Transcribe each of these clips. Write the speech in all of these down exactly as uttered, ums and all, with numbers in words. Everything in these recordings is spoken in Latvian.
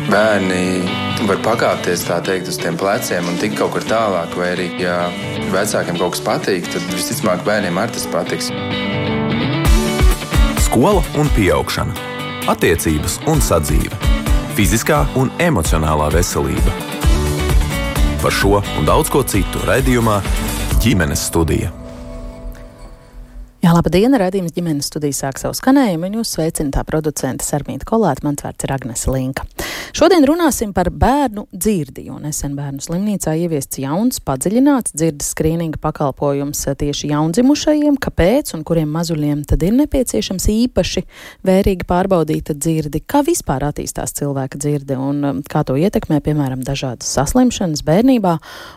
bērni var pakāpties, tā teikt, uz tiem pleciem un tikt kaut kur tālāk, vai arī, ja vecākiem kaut kas patīk, tad visticamāk bērniem arī tas patiks. Skola un pieaugšana, attiecības un sadzīve, fiziskā un emocionālā veselība. Par šo un daudz ko citu raidījumā Ģimenes studija. Jā, labdien, raidījums Ģimenes studija sāk savu skanējumu, un jūs sveicina tā producente Sarmīta Kolāte, mans vārds ir Agnese Linka. Šodien runāsim par bērnu dzirdi, jo nesen bērnu slimnīcā ieviests jauns, padziļināts dzirdes skrīninga pakalpojums tieši jaundzimušajiem, kāpēc un kuriem mazuļiem tad ir nepieciešams īpaši vērīgi pārbaudīta dzirdi, kā vispār attīstās cilvēka dzirde un kā to ietekmē, piemēram, dažādas saslimšanas bērnībā,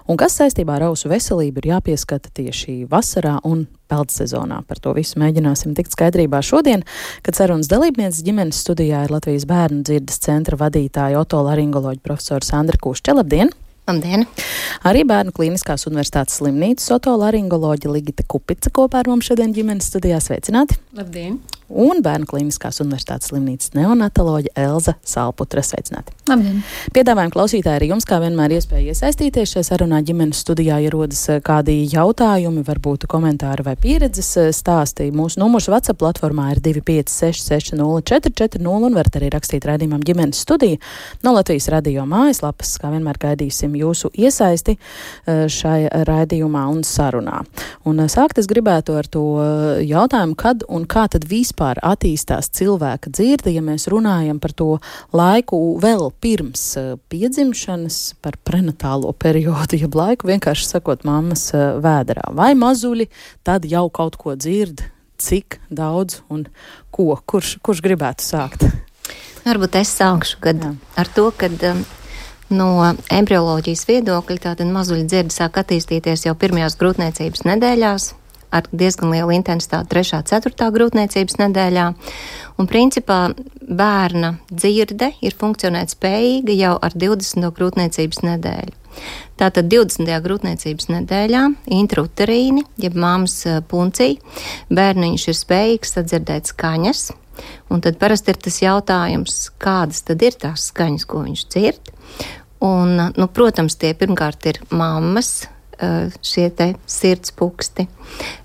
un kas saistībā ar ausu veselību ir jāpieskata tieši vasarā un peldsezonā. Par to visu mēģināsim tikt skaidrībā šodien, kad sarunas dalībnieces Ģimenes studijā ir Latvijas bērnu dzirdes centra vadītāja otolaringoloģa profesora Sandra Kušķa. Labdien! Labdien! Arī Bērnu klīniskās universitātes slimnīcas otolaringoloģa Ligita Kupica kopā ar mums šodien Ģimenes studijā. Sveicināti! Labdien! Un Bērnu klīniskās universitātes slimnīcas neonatoloģa Elza Salputra. Sveicināti! Labdien! Piedāvājam klausītāji arī jums, kā vienmēr, iespēja iesaistīties šajā sarunā. Ģimenes studijā ierodas kādi jautājumi, varbūt komentāri vai pieredzes stāsti. Mūsu numurs WhatsApp platformā ir divi pieci seši seši nulle četri četri nulle un varat arī rakstīt raidījumam Ģimenes studija no Latvijas radio mājaslapas. Kā vienmēr gaidīsim jūsu iesaisti šai raidījumā un sarunā. Un sākt es gribētu ar to jautājumu, kad un kā tad vispār attīstās cilvēka dzirde, ja mēs runājam par to laiku vēl pirms piedzimšanas, par prenatālo periodu, jeb laiku vienkārši sakot mammas vēderā. Vai mazuļi tad jau kaut ko dzird, cik daudz un ko? Kurš, kurš gribētu sākt? Varbūt es sākšu kad, ar to, kad um, no embrioloģijas viedokļa tātad mazuļi dzirde sāk attīstīties jau pirmajās grūtniecības nedēļās, ar diezgan lielu intensitāti trešā, ceturtā grūtniecības nedēļā. Un principā bērna dzirde ir funkcionēt spējīga jau ar divdesmito grūtniecības nedēļu. Tātad divdesmitajā grūtniecības nedēļā intrauterīni, jeb mammas puncī, bērniņš ir spējīgs sadzirdēt skaņas. Un tad parasti ir tas jautājums, kādas tad ir tās skaņas, ko viņš dzird. Un, nu, protams, tie pirmkārt ir mammas, šie te sirds puksti,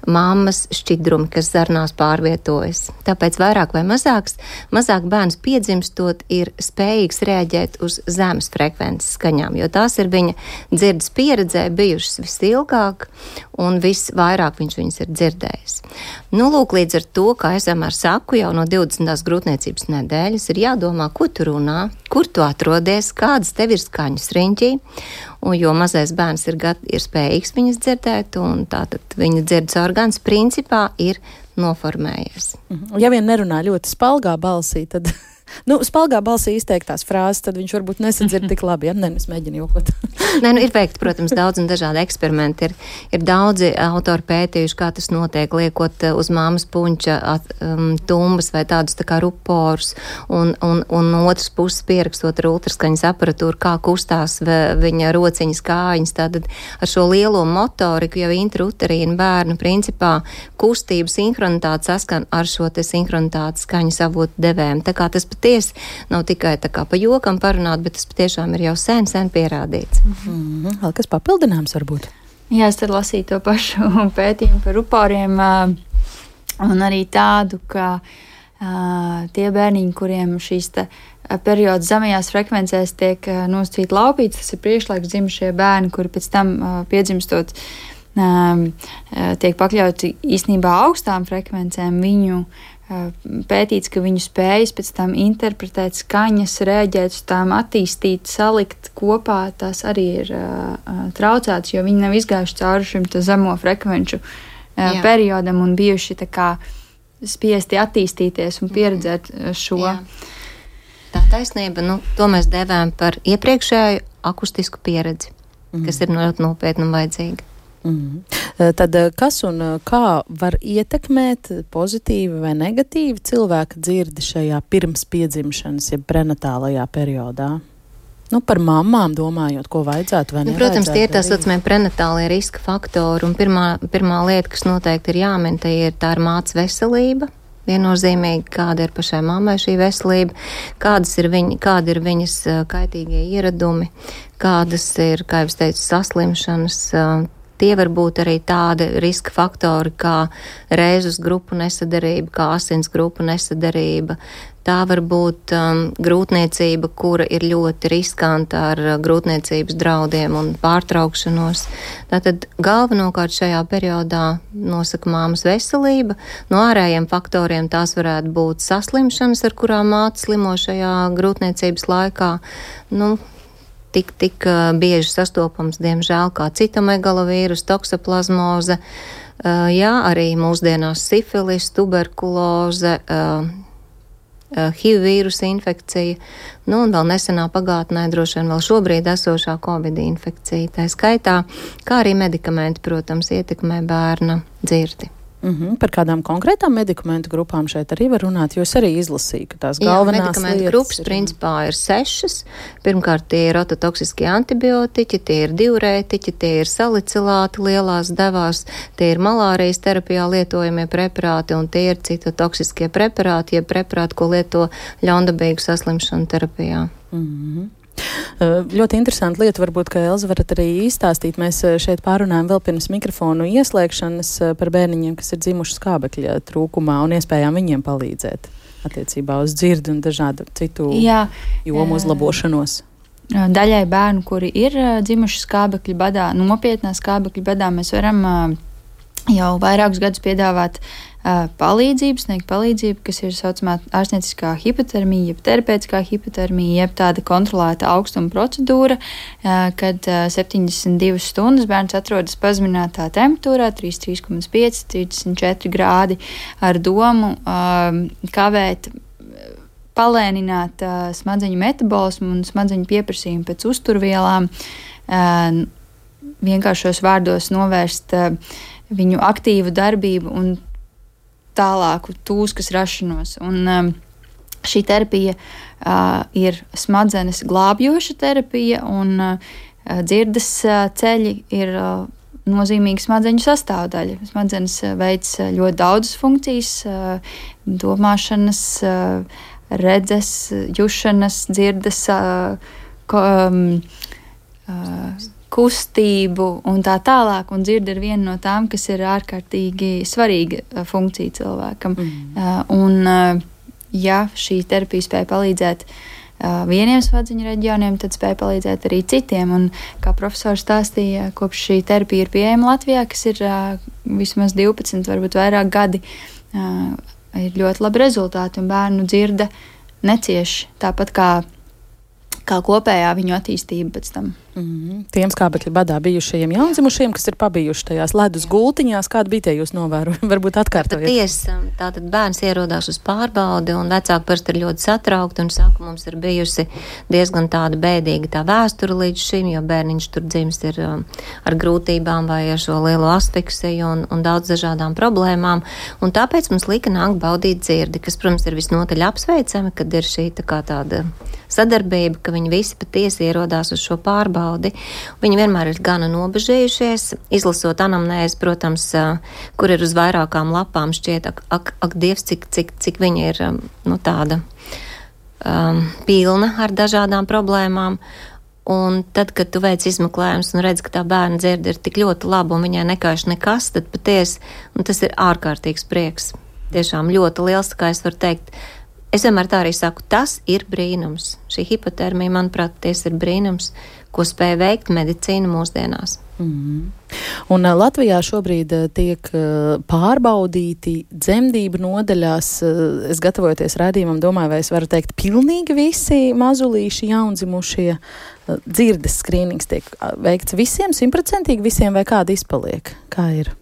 mammas šķidrumi, kas zarnās pārvietojas. Tāpēc vairāk vai mazāks, mazāk bērns piedzimstot ir spējīgs reaģēt uz zemes frekvences skaņām, jo tās ir viņa dzirdes pieredzē bijušas visilgāk un visvairāk viņš viņas ir dzirdējis. Nu, lūk, līdz ar to, kā es vienmēr saku, jau no divdesmitās grūtniecības nedēļas ir jādomā, ko tu runā, kur tu atrodies, kādas tev ir skaņas riņķī, un jo mazais bērns ir, gat, ir spējīgs viņas dzirdēt, un tātad viņa dzirdes orgāns principā ir noformējies. Ja vien nerunā ļoti spalgā balsī, tad, nu, spalgā balsī izteiktās frāzes, tad viņš varbūt nesadzird tik labi, ja? Nē, es mēģinu jokot. Nē, nu, ir veikti, protams, daudz un dažādi eksperimenti. Ir, ir daudzi autori pētījuši, kā tas notiek, liekot uz māmas puņķa at, um, tumbas vai tādus tā kā ruporus, un, un, un no otras puses pierakstot ar ultraskaņas aparatūru, kā kustās viņa rociņas kājiņas. Tātad ar šo lielo motoriku jau intrauterīna bērnu principā kustību sinhronitāte saskan ar šo te sinhronitātes skaņas avotu devēm. Tā kā tas patiesi nav tikai tā kā pa jokam parunāt, bet tas patiešām ir jau sen, sen pierādīts. Mm-hmm. Vēl kas papildināms varbūt? Jā, es tad lasīju to pašu pētījumu par ruporiem un arī tādu, ka tie bērniņi, kuriem šīs te periods zemajās frekvencēs tiek nosacīti laupīts, tas ir priekšlaiks dzimušie bērni, kuri pēc tam piedzimstot tiek pakļauti īstenībā augstām frekvencēm, viņu pētīts, ka viņu spējas pēc tam interpretēt skaņas, rēģēt uz tām, attīstīt, salikt kopā, tās arī ir uh, traucētas, jo viņi nav izgājuši cauri šim zemo frekvenču uh, periodam un bijuši tā kā spiesti attīstīties un pieredzēt šo. Jā. Tā taisnība, nu, to mēs devām par iepriekšēju akustisku pieredzi, mm. kas ir ļoti nopietni un vajadzīga. Mm. Tad kas un kā var ietekmēt pozitīvi vai negatīvi cilvēka dzirdi šajā pirms piedzimšanas, ja prenatālajā periodā? Nu, par mammām domājot, ko vajadzētu vai nevajadzētu. Nu, protams, tie ir tā saucamie prenatālie riska faktori, un pirmā, pirmā lieta, kas noteikti ir jāmin, tā ir tā ir mātes veselība, viennozīmīgi, kāda ir pašai mammai šī veselība, kādas ir viņa, kāda ir viņas kaitīgie ieradumi, kādas ir, kā jau es teicu, saslimšanas. Tie var būt arī tādi riska faktori kā rēzus grupu nesadarība, kā asins grupu nesadarība. Tā var būt um, grūtniecība, kura ir ļoti riskanta ar uh, grūtniecības draudiem un pārtraukšanos. Tātad galvenokārt šajā periodā nosaka māmas veselība. No ārējiem faktoriem tās varētu būt saslimšanas, ar kurām māte slimo šajā grūtniecības laikā. Nu, Tik, tik uh, bieži sastopams, diemžēl, kā citomegalovīrus, toksoplazmoze, uh, jā, arī mūsdienās sifilis, tuberkuloze, uh, uh, H I V vīrusa infekcija, nu un vēl nesenā pagātnē droši vien vēl šobrīd esošā Covid infekcija. Tā skaitā, kā arī medikamenti, protams, ietekmē bērna dzirdi. Mm-hmm. Par kādām konkrētām medikamentu grupām šeit arī var runāt, jo es arī izlasīju, ka tās galvenās Jā, medikamentu lietas grupas ir... principā ir sešas. Pirmkārt, tie ir ototoksiskie antibiotiķi, tie ir diurētiķi, tie ir salicilāti lielās devās, tie ir malārijas terapijā lietojamie preparāti un tie ir citotoksiskie preparāti, jeb preparāti, ko lieto ļaundabīgu saslimšanu terapijā. Mm-hmm. Ļoti interesanti lieta, varbūt, ka Elza varat arī izstāstīt. Mēs šeit pārunājam vēl pirms mikrofonu ieslēgšanas par bērniņiem, kas ir dzimuši skābekļa trūkumā un iespējām viņiem palīdzēt attiecībā uz dzirdi un dažādu citu Jā, jomu uzlabošanos. Daļai bērnu, kuri ir dzimuši skābekļa badā, nopietnā skābekļa badā, mēs varam jau vairākus gadus piedāvāt uh, palīdzību, sniegt palīdzību, kas ir saucamā ārstnieciskā hipotermija, jeb terapeitiskā hipotermija, jeb tāda kontrolēta augstuma procedūra, uh, kad uh, septiņdesmit divas stundas bērns atrodas pazeminātā temperatūrā, trīsdesmit trīs komats pieci, trīsdesmit četri grādi, ar domu uh, kavēt, palēnināt uh, smadzeņu metabolismu un smadzeņu pieprasījumu pēc uzturvielām, uh, vienkāršos vārdos novērst uh, viņu aktīvu darbību un tālāku tūskas rašanos. Un um, šī terapija uh, ir smadzenes glābjoša terapija, un uh, dzirdes uh, ceļi ir uh, nozīmīga smadzeņu sastāvdaļa. Smadzenes uh, veic uh, ļoti daudzas funkcijas, uh, domāšanas, uh, redzes, jušanas, dzirdes, uh, ko, um, uh, kustību un tā tālāk, un dzirde ir viena no tām, kas ir ārkārtīgi svarīga funkcija cilvēkam. Mm. Un, ja šī terapija spēja palīdzēt vieniem smadzeņu reģioniem, tad spēja palīdzēt arī citiem, un kā profesors stāstīja, kopš šī terapija ir pieejama Latvijā, kas ir vismaz divpadsmit, varbūt vairāk gadi, ir ļoti labi rezultāti, un bērnu dzirde necieš tāpat kā kā kopējā viņu attīstība pēc tam. Mm-hmm. Tiem skābekļa badā bijušajiem jaundzimušiem, kas ir pabijuši tajās ledus gultiņās, kāda bija tie jūs novērojumi? Varbūt atkārtojiet. Patiesi, tātad bērns ierodās uz pārbaudi, un vecāki parasti ir ļoti satraukti un saka, mums ir bijusi diezgan tāda bēdīga tā vēsture līdz šim, jo bērniņš tur dzimis ir um, ar grūtībām vai ar šo lielo asfiksiju un, un daudz dažādām problēmām, un tāpēc mums lika nākt baudīt dzirdi, kas, protams, ir visnotaļ apsveicami, kad ir šī tā kā tāda sadarbība, ka viņi visi patiesi ierodās uz šo pārbaudi. Viņi vienmēr ir gana nobežījušies, izlasot anamnēzi, protams, kur ir uz vairākām lapām, šķiet, ak, ak, ak Dievs, cik, cik, cik viņa ir nu, tāda um, pilna ar dažādām problēmām. Un tad, kad tu veic izmeklējums un redz, ka tā bērna dzirde ir tik ļoti laba un viņai nekaiš nekas, tad patiesi, un tas ir ārkārtīgs prieks. Tiešām ļoti liels, tā kā es varu teikt. Es vienmēr tā arī saku, tas ir brīnums. Šī hipotermija, manuprāt, ties ir brīnums, ko spēja veikt medicīna mūsdienās. Mm-hmm. Un uh, Latvijā šobrīd uh, tiek uh, pārbaudīti dzemdību nodaļās. Uh, es gatavojoties raidījumam, domāju, vai es varu teikt, pilnīgi visi mazulīši, jaundzimušie uh, dzirdes skrīnings tiek uh, veikts visiem, simtprocentīgi visiem, vai kāda izpaliek? Kā ir?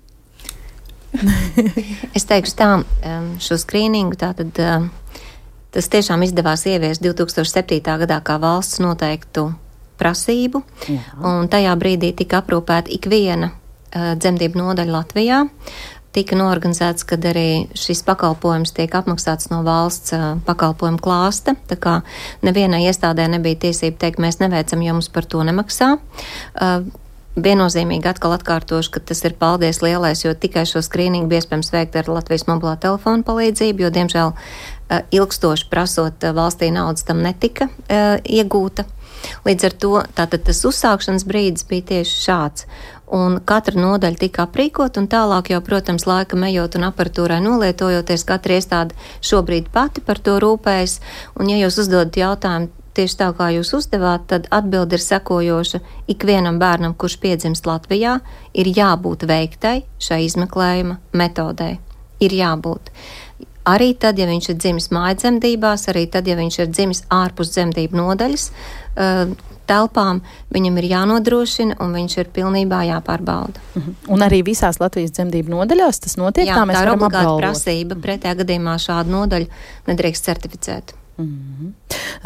Es teikšu tā, um, šo skrīningu tātad. Uh, Tas tiešām izdevās ieviest divi tūkstoši septītā gadā kā valsts noteiktu prasību, Jā. Un tajā brīdī tika aprūpēta ikviena uh, dzemdību nodaļa Latvijā. Tika norganizēts, kad arī šis pakalpojums tiek apmaksāts no valsts uh, pakalpojumu klāsta, tā kā nevienai iestādē nebija tiesība teikt, mēs neveicam, ja mums par to nemaksā. Uh, viennozīmīgi atkal atkārtošu, ka tas ir paldies lielais, jo tikai šo skrīningu bija iespējams veikt ar Latvijas mobilā telefona palīdzību, jo, diemžēl, ilgstoši prasot valstī naudas tam netika iegūta. Līdz ar to tātad tas uzsākšanas brīdis bija tieši šāds. Un katra nodaļa tika aprīkot, un tālāk jau, protams, laika ejot un aparatūrai nolietojoties, katra iestāde šobrīd pati par to rūpējas. Un, ja jūs uzdodat jautājumu tieši tā, kā jūs uzdevāt, tad atbilde ir sekojoša. Ikvienam bērnam, kurš piedzimst Latvijā, ir jābūt veiktai šai izmeklējuma metodei. Ir jābūt. Arī tad, ja viņš ir dzimis mājdzemdībās, arī tad, ja viņš ir dzimis ārpus dzemdību nodaļas uh, telpām, viņam ir jānodrošina un viņš ir pilnībā jāpārbauda. Uh-huh. Un arī visās Latvijas dzemdību nodaļās tas notiek? Jā, tā mēs tā ir varam obligāta apgalvot. prasība. Pretējā gadījumā šādu nodaļu nedrīkst certificēt. Mm-hmm.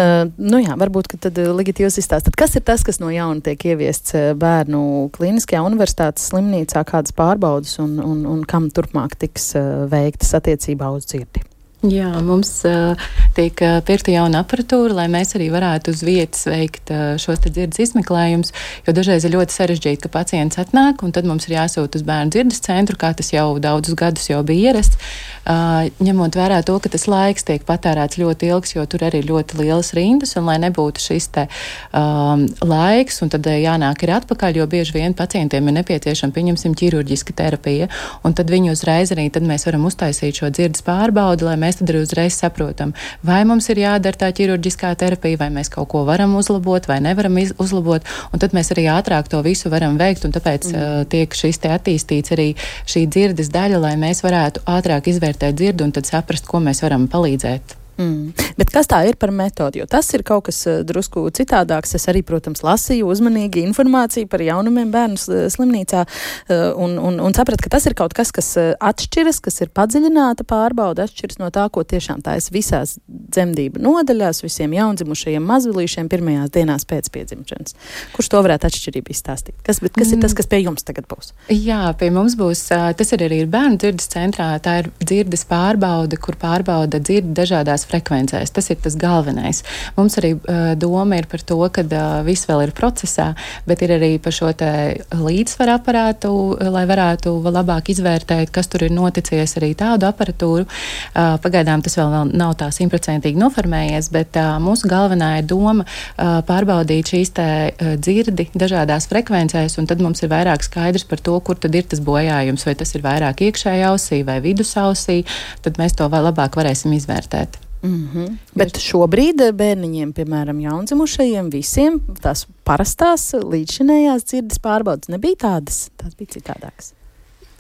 Uh, nu jā, varbūt, ka tad Ligita jūs izstāstat, kas ir tas, kas no jauna tiek ieviests bērnu klīniskajā universitātes slimnīcā, kādas pārbaudas un, un, un kam turpmāk tiks uh, veiktas attiecībā uz dzirdi? Jā, mums uh, tiek uh, pirkta jauna aparatūra, lai mēs arī varētu uz vietas veikt uh, šos te dzirdes izmeklējumus, jo dažreiz ir ļoti sarežģīti, ka pacients atnāk, un tad mums ir jāsūt uz bērnu dzirdes centru, kā tas jau daudzus gadus jau bija ierasts, uh, ņemot vērā to, ka tas laiks tiek patērēts ļoti ilgs, jo tur arī ir ļoti lielas rindas, un lai nebūtu šis te um, laiks, un tad jānāk ir atpakaļ, jo bieži vien pacientiem ir nepieciešama, pieņemsim, ķirurģiska terapija, un tad viņi uzreiz arī, tad mēs varam uztaisīt šo dzirdes pārbaudi, lai mēs tad arī uzreiz saprotam, vai mums ir jādara tā ķirurģiskā terapija, vai mēs kaut ko varam uzlabot, vai nevaram iz, uzlabot, un tad mēs arī ātrāk to visu varam veikt, un tāpēc mm. uh, tiek šis te attīstīts arī šī dzirdes daļa, lai mēs varētu ātrāk izvērtēt dzirdu un tad saprast, ko mēs varam palīdzēt. Mm. Bet kas tā ir par metodi? Jo tas ir kaut kas uh, drusku citādāks. Es arī, protams, lasīju uzmanīgi informāciju par jaunumiem bērnu slimnīcā uh, un, un, un sapratu, ka tas ir kaut kas, kas uh, atšķiras, kas ir padziļināta pārbauda, atšķiras no tā, ko tiešām tā es visās dzemdību nodaļās, visiem jaundzimušajiem mazvilīšiem pirmajās dienās pēc piedzimšanas. Kurš to varētu atšķirību izstāstīt? Kas, bet, kas mm. ir tas, kas pie jums tagad būs? Jā, pie mums būs, uh, tas ir arī bērnu dzirdes centrā, tā ir dzirdes pārbaude, kur pārbauda dzirdi dažādās frekvencēs. Tas ir tas galvenais. Mums arī uh, doma ir par to, ka uh, viss vēl ir procesā, bet ir arī par šo te līdzsvaru aparātu, lai varētu labāk izvērtēt, kas tur ir noticies, arī tādu aparatūru. Uh, pagaidām tas vēl, vēl nav tā simtprocentīgi noformējies, bet uh, mūsu galvenā ir doma uh, pārbaudīt šīs te uh, dzirdi dažādās frekvencēs, un tad mums ir vairāk skaidrs par to, kur tad ir tas bojājums, vai tas ir vairāk iekšējā ausī vai vidusausī, tad mēs to vēl labāk varēsim izvērtēt. Mm-hmm. Bet šobrīd bērniņiem, piemēram, jaundzimušajiem, visiem tās parastās līdzšinējās dzirdes pārbaudas nebija tādas, tās bija citādākas.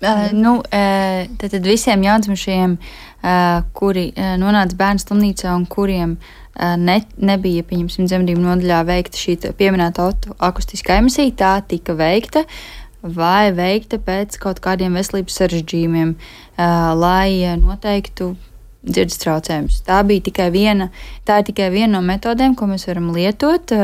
Uh, nu, uh, tad, tad visiem jaundzimušajiem, uh, kuri uh, nonāca bērnu slimnīcā un kuriem uh, ne, nebija, pieņemsim, dzemdību nodaļā veikta šī pieminēta akustiskā emisija, tā tika veikta vai veikta pēc kaut kādiem veselības sarežģījumiem, uh, lai noteiktu dzirdes traucējumus. Tā bija tikai viena, tā ir tikai viena no metodēm, ko mēs varam lietot,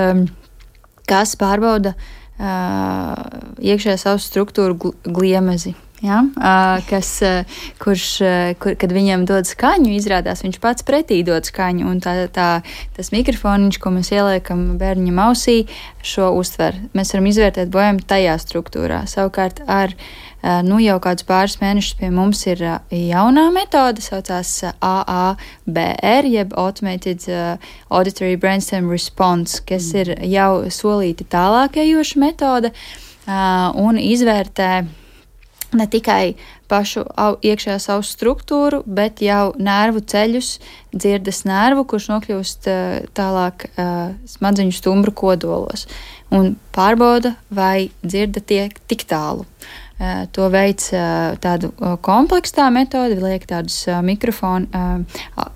kas pārbauda uh, iekšējās ausu struktūru gliemezi. Ja? Uh, kas, uh, kurš, uh, kur, kad viņam dod skaņu, izrādās viņš pats pretī dod skaņu, un tā, tā, tas mikrofoniņš, ko mēs ieliekam bērniņam ausī, šo uztver. Mēs varam izvērtēt bojājumu tajā struktūrā. Savukārt ar uh, nu jau kādus pāris mēnešus pie mums ir uh, jaunā metode, saucās uh, A A B R, jeb Automated uh, Auditory Brainstem Response, kas mm. ir jau solīti tālākajoša metode uh, un izvērtē ne tikai pašu au, iekšējās ausu struktūru, bet jau nervu ceļus, dzirdes nervu, kurš nokļūst uh, tālāk uh, smadzeņu stumbru kodolos. Un pārbauda, vai dzirde tiek tik tālu. Uh, to veids uh, tādu uh, kompleksā metodi, liek tādus uh, mikrofonu uh, uh,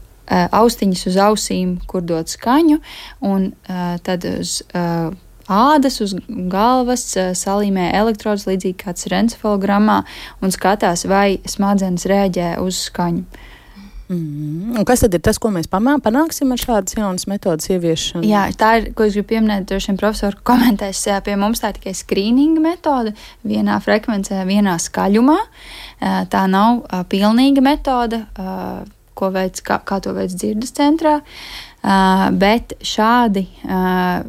austiņas uz ausīm, kur dod skaņu, un uh, tad uz uh, ādas uz galvas salīmē elektrodus, līdzīgi kāds ir encefalogrammā, un skatās, vai smadzenes rēģē uz skaņu. Mm. Un kas tad ir tas, ko mēs panāksim ar šādas jaunas metodas ieviešanu? Jā, tā ir, ko es gribu pieminēt, droši vien profesori komentēs, pie mums tā ir tikai skrīninga metode, vienā frekvencē, vienā skaļumā. Tā nav pilnīga metode, ko veids, kā, kā to veids dzirdes centrā. bet šādi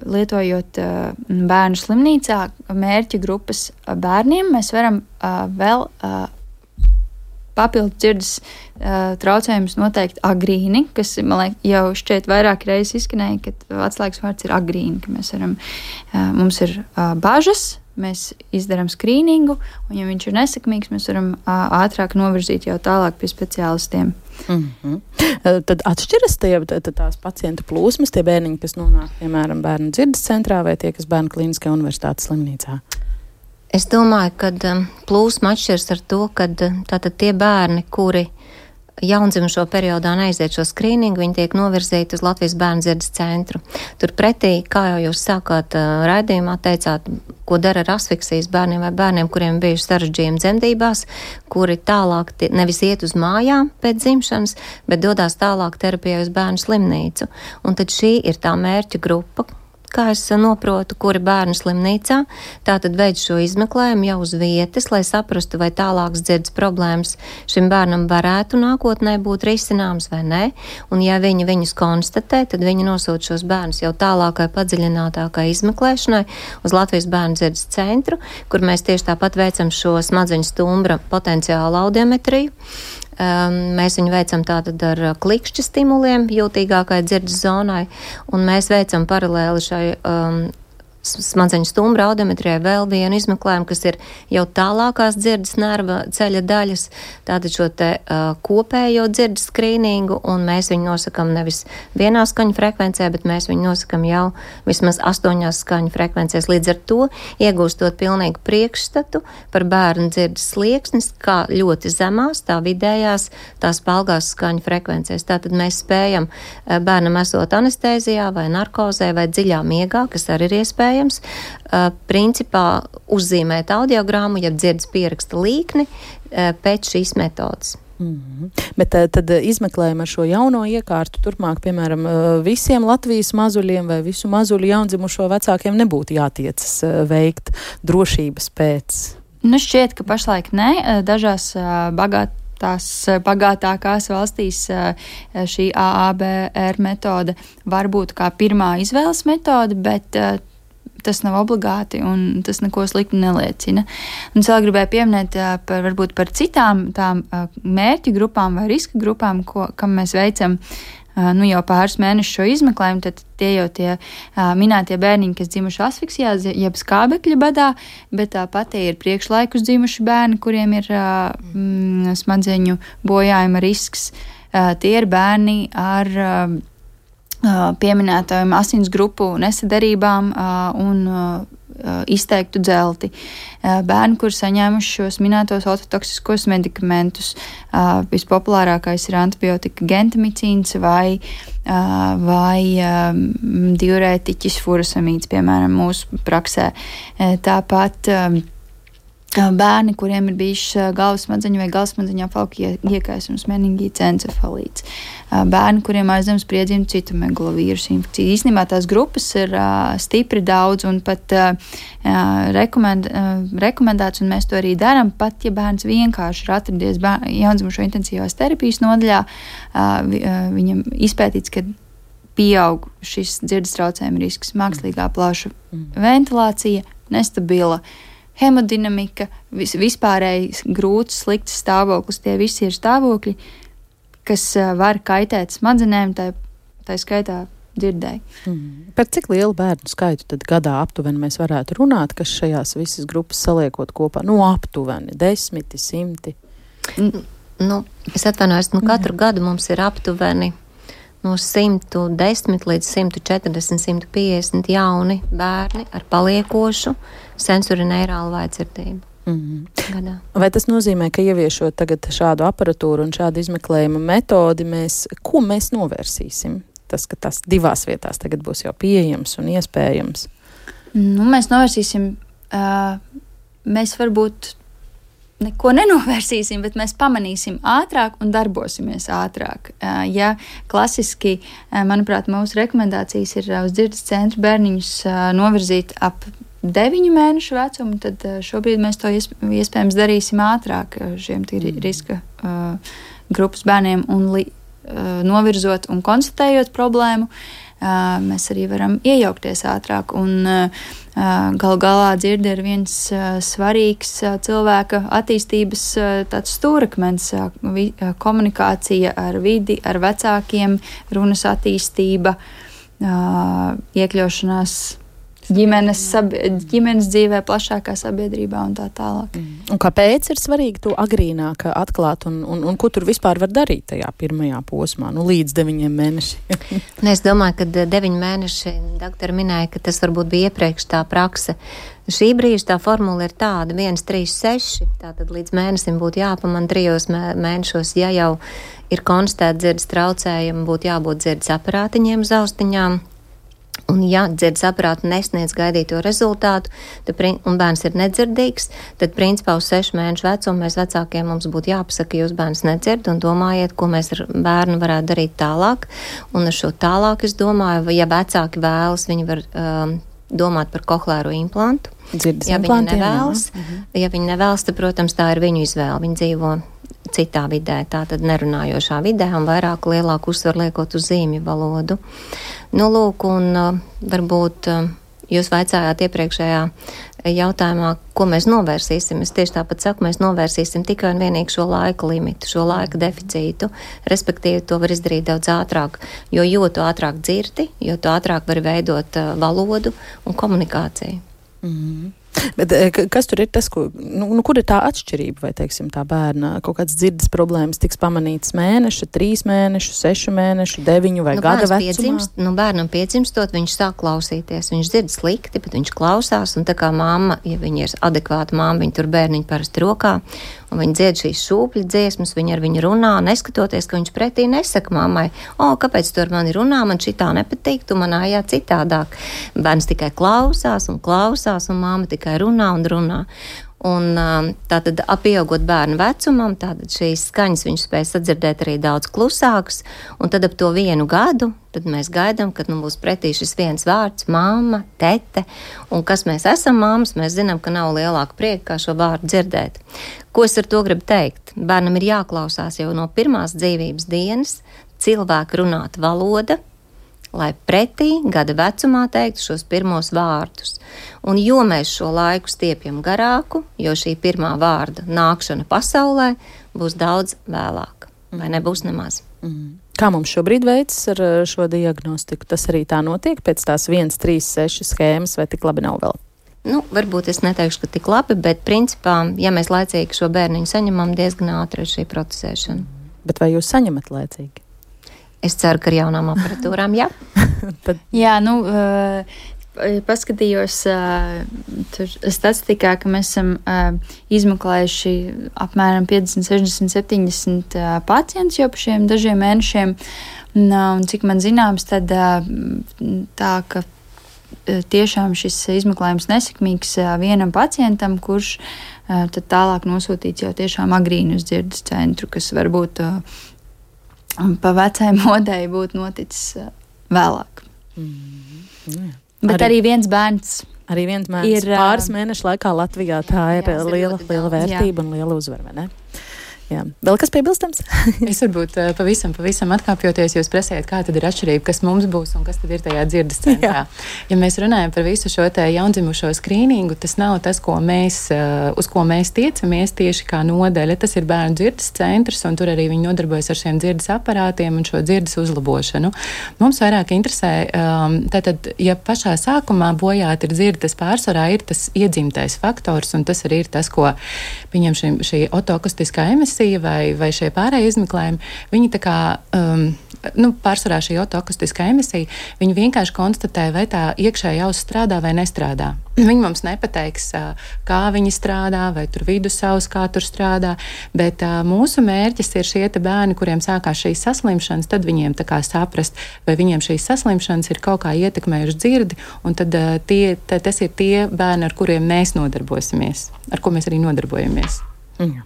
lietojot bērnu slimnīcā mērķa grupas bērniem, mēs varam vēl papildu dzirdes uh, traucējumus noteikti agrīni, kas, man liek, jau šķiet vairāk reizes izskanēja, ka atslēgas vārds ir agrīni, ka mēs varam, uh, mums ir uh, bažas, mēs izdarām skrīningu, un ja viņš ir nesekmīgs, mēs varam uh, ātrāk novirzīt jau tālāk pie speciālistiem. Mm-hmm. Tad atšķiras tie, tās pacientu plūsmas, tie bērniņi, kas nonāk, piemēram, bērnu dzirdes centrā vai tie, kas bērnu klīniskajā universitātes slimnīcā? Es domāju, ka um, plūsma atšķiras ar to, ka tātad tie bērni, kuri jaundzimušo periodā neaiziet šo skrīningu, viņi tiek novirzīti uz Latvijas bērnu dzirdes centru. Turpretī, kā jau jūs sākāt uh, raidījumā, teicāt, ko dara ar asfiksijas bērniem vai bērniem, kuriem bijuši sarežģījumi dzemdībās, kuri tālāk tie, nevis iet uz mājām pēc dzimšanas, bet dodās tālāk terapijai uz bērnu slimnīcu. Un tad šī ir tā mērķa grupa, kā es noprotu, kuri bērnu slimnīcā, tātad veids šo izmeklējumu jau uz vietas, lai saprastu, vai tālākas dzirdes problēmas šim bērnam varētu nākotnē būt risināms vai nē, un ja viņi viņus konstatē, tad viņi nosūta šos bērnus jau tālākai padziļinātākai izmeklēšanai uz Latvijas bērnu dzirdes centru, kur mēs tieši tāpat veicam šo smadzeņu stumbra potenciālu audiometriju. Um, mēs viņu veicam tātad ar klikšķa stimuliem jūtīgākai dzirdes zonai, un mēs veicam paralēli šai um, smadzeņu stumbra audiometrijai vēl vienu izmeklējumu, kas ir jau tālākās dzirdes nerva ceļa daļas, tātad šo te uh, kopējo dzirdes skrīningu, un mēs viņu nosakam nevis vienā skaņu frekvencē, bet mēs viņu nosakam jau vismaz astoņās skaņu frekvencēs. Līdz ar to iegūstot pilnīgu priekšstatu par bērnu dzirdes slieksnis, kā ļoti zemās, tā vidējās, tās palgās skaņu frekvencēs. Tātad mēs spējam bērnam esot anestēzijā vai narkozē vai dziļā miegā, kas arī ir iespējams, Uh, principā uzzīmēt audiogrammu, ja dzirdes pieraksta līkni uh, pēc šīs metodas. Mm-hmm. Bet tad izmeklējam ar šo jauno iekārtu turpmāk, piemēram, visiem Latvijas mazuļiem vai visu mazuļu jaundzimušo vecākiem nebūtu jātiecas veikt drošības pēc? Nu, šķiet, ka pašlaik ne. Dažās bagāt tās bagātākās valstīs šī A A B R metode var būt kā pirmā izvēles metode, bet tas nav obligāti un tas neko sliktu neliecina. Un es vēl gribēju pieminēt par, varbūt par citām tām mērķu grupām vai riska grupām, ko, kam mēs veicam nu, jau pāris mēnešus šo izmeklējumu, tad tie jau tie minētie bērniņi, kas dzimuši asfiksijā, jeb skābekļa badā, bet tāpat tie ir priekšlaikus dzimuši bērni, kuriem ir mm, smadzeņu bojājuma risks. Tie ir bērni ar pieminētajām asins grupu nesaderībām un izteiktu dzelti. Bērni, kur saņēmuši šos minētos ototoksiskos medikamentus, vispopulārākais ir antibiotika gentamicīns vai, vai diurētiķis furosamīds, piemēram, mūsu praksē. Tāpat bērni, kuriem ir bijuši galvas smadzeņu vai galvasmadzeņu apvalku iekaisums, meningīts, encefalīts. Bērni, kuriem aizdems priedzimtu citu megalovīrusu infekciju. Īstenībā tās grupas ir uh, stipri daudz un pat uh, rekomend, uh, rekomendēts, un mēs to arī darām, pat ja bērns vienkārši ir atradies jaundzimušo intensīvās terapijas nodaļā, uh, vi, uh, viņam izpētīts, ka pieaug šis dzirdes traucējuma risks, mākslīgā plaša ventilācija, nestabila hemodinamika, vis, vispārēji grūts, slikts stāvoklis, tie visi ir stāvokļi, kas uh, var kaitēt smadzenēm, tā, tā skaitā dzirdēji. Mm. Par cik lielu bērnu skaitu tad gadā aptuveni mēs varētu runāt, kas šajās visas grupas saliekot kopā? Nu, aptuveni, desmiti, simti? N- nu, es atvainojos, nu katru mm. gadu mums ir aptuveni no simt desmit līdz simt četrdesmit, simt piecdesmit jauni bērni ar paliekošu sensorineirālu vājdzirdību. Mm-hmm. Vai tas nozīmē, ka ieviešot tagad šādu aparatūru un šādu izmeklējuma metodi, mēs, ko mēs novērsīsim? Tas, ka tas divās vietās tagad būs jau pieejams un iespējams. Nu, mēs novērsīsim, uh, mēs varbūt neko nenovērsīsim, bet mēs pamanīsim ātrāk un darbosimies ātrāk. Uh, ja klasiski, uh, manuprāt, mūsu rekomendācijas ir uh, uz dzirdes centru bērniņus uh, novirzīt ap deviņu mēnešu vecumu, tad šobrīd mēs to iespējams darīsim ātrāk šiem riska uh, grupas bērniem un li, novirzot un konstatējot problēmu, mēs arī varam iejaukties ātrāk. Un gal galā dzirde ir viens svarīgs cilvēka attīstības tāds stūrakmens, komunikācija ar vidi, ar vecākiem, runas attīstība, iekļaušanās ģimenes, sabie, ģimenes dzīvē, plašākā sabiedrībā un tā tālāk. Mm. Un kāpēc ir svarīgi to agrīnāk atklāt un, un, un ko tur vispār var darīt tajā pirmajā posmā, nu līdz deviņiem mēnešiem? Ne, es domāju, ka deviņi mēneši, doktori minēja, ka tas varbūt bija iepriekš tā prakse. Šī brīža tā formula ir tāda, viens, trīs, seši, tātad līdz mēnesim būtu jāpamana trijos mēnešos, ja jau ir konstatēta dzirdes traucējumi, būtu jābūt dzirdes aparātiņiem uz austiņām. Un ja dzirdes aparātu nesniedz gaidīto rezultātu, tad, un bērns ir nedzirdīgs, tad principā uz sešu mēnešu vecumu mēs vecākiem mums būtu jāpasaka, jūs bērns nedzird un domājiet, ko mēs ar bērnu varētu darīt tālāk. Un ar šo tālāk es domāju, ja vecāki vēlas, viņi var um, domāt par kohlēro implantu. Dzirdes ja viņi nevēlas, mhm. ja viņi nevēlas, tad, protams, tā ir viņu izvēle. Viņi dzīvo citā vidē, tātad nerunājošā vidē un vairāk lielāku uzsvaru liekot uz zīmju valodu. Nu, lūk, un uh, varbūt uh, jūs vaicājāt iepriekšējā jautājumā, ko mēs novērsīsim. Es tieši tāpat saku, mēs novērsīsim tikai un vienīgi šo laika limitu, šo laika deficītu. Respektīvi, to var izdarīt daudz ātrāk, jo jo tu ātrāk dzirdi, jo tu ātrāk var veidot uh, valodu un komunikāciju. Mm-hmm. Bet kas tur ir tas, ko, nu, nu, kur ir tā atšķirība, vai, teiksim, tā bērna kaut kādas dzirdes problēmas tiks pamanītas mēneša, trīs mēnešu, sešu mēnešu, deviņu vai nu, gada vecumā? Piedzimst, nu, bērnam piedzimstot, viņš sāk klausīties, viņš dzird slikti, bet viņš klausās, un tā kā mamma, ja viņa ir adekvāta mamma, viņa tur bērniņu parasti rokā, un viņa dzied šīs šūpļu dziesmas, viņa ar viņu runā, neskatoties, ka viņš pretī nesaka mammai, o, kāpēc tu ar mani runā, man šitā nepatīk, tu manājā citādāk. Bērns tikai klausās un klausās, un mamma tikai runā un runā. Un tātad apieaugot bērnu vecumam, tātad šīs skaņas viņš spēj sadzirdēt arī daudz klusākas, un tad ap to vienu gadu, tad mēs gaidām, kad nu būs pretī šis viens vārds, mamma, tete, un kas mēs esam mammas, mēs zinām, ka nav lielāka prieka, kā šo vārdu dzirdēt. Ko es ar to gribu teikt? Bērnam ir jāklausās jau no pirmās dzīvības dienas cilvēku runāt valoda, lai pretī gada vecumā teiktu šos pirmos vārdus. Un jo mēs šo laiku stiepjam garāku, jo šī pirmā vārda nākšana pasaulē būs daudz vēlāk, vai nebūs nemaz. Mm. Kā mums šobrīd veicas ar šo diagnostiku? Tas arī tā notiek pēc tās viens, trīs, seši schēmas, vai tik labi nav vēl? Nu, varbūt es neteikšu, ka tik labi, bet principā, ja mēs laicīgi šo bērniņu saņemam, diezgan ātri ir šī procesēšana. Bet vai jūs saņemat laicīgi? Es ceru, ka ar jaunām aparatūrām, jā. Tad... Jā, nu, uh, paskatījos uh, statistikā, ka mēs esam uh, izmeklējuši apmēram piecdesmit, sešdesmit, septiņdesmit uh, pacientus jau pa šiem dažiem mēnešiem. Un, uh, un cik man zināms, tad uh, tā, ka uh, tiešām šis izmeklējums nesekmīgs uh, vienam pacientam, kurš uh, tad tālāk nosūtīts jau tiešām agrīni uz dzirdes centru, kas varbūt uh, pa vecai modei būtu noticis uh, vēlāk. Mm, jā. Bet arī, arī viens bērns. Arī viens bērns ir pāris mēnešu laikā Latvijā. Tā ir jā, liela, liela vērtība jā. Un liela uzvara, vai ne? Jā. Vēl kas piebilstams? Es varbūt pavisam, pavisam atkāpjoties, jūs prasējat, kā tad ir atšķirība, kas mums būs un kas tad ir tajā dzirdes centrā. Jā. Ja mēs runājam par visu šo te jaundzimušo skrīningu, tas nav tas, ko mēs, uz ko mēs tiecamies tieši kā nodaļa. Tas ir bērnu dzirdes centrs, un tur arī viņi nodarbojas ar šiem dzirdes aparātiem un šo dzirdes uzlabošanu. Mums vairāk interesē, tātad, ja pašā sākumā bojāt ir dzirde, tas pārsvarā ir tas iedzimtais faktors, un tas arī ir tas, ko viņam šī, šī otoakustiskā emisija vai, vai šie pārējie izmeklējumi, viņi tā kā, um, nu, pārsvarā šī otoakustiskā emisija, viņi vienkārši konstatē, vai tā iekšējā auss strādā vai nestrādā. Viņi mums nepateiks, kā viņi strādā, vai tur vidusauss, kā tur strādā, bet uh, mūsu mērķis ir šie te bērni, kuriem sākās šīs saslimšanas, tad viņiem tā kā saprast, vai viņiem šīs saslimšanas ir kaut kā ietekmējuši dzirdi, un tad uh, tie, t- tas ir tie bērni, ar kuriem mēs nodarbosimies, ar ko mēs arī nodarbojamies. Jā.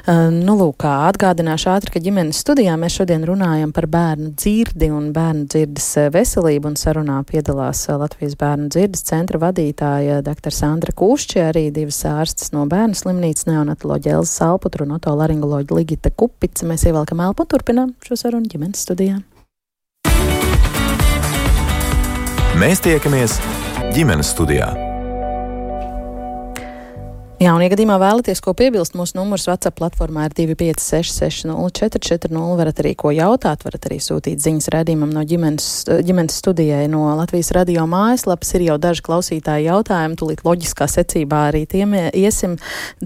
Nu, lūk, kā atgādināšu ātri, ka ģimenes studijā mēs šodien runājam par bērnu dzirdi un bērnu dzirdes veselību, un sarunā piedalās Latvijas bērnu dzirdes centra vadītāja dr. Sandra Kušķe, arī divas ārstes no bērnu slimnīcas, neonatoloģa Elza Salputra un otolaringoloģa Ligita Kupica. Mēs ievelkam elpu un turpinām šo sarunu ģimenes studijā. Mēs tiekamies ģimenes studijā. Jā, un, ja gadījumā vēlaties ko piebilst, mūsu numurs WhatsApp platformā ir divi pieci seši seši nulle četri četri nulle. Varat arī ko jautāt, varat arī sūtīt ziņas raidījumam no ģimenes, ģimenes studijai no Latvijas radio mājaslapas. Ir jau daži klausītāji jautājumi, tūlīt loģiskā secībā arī tiem iesim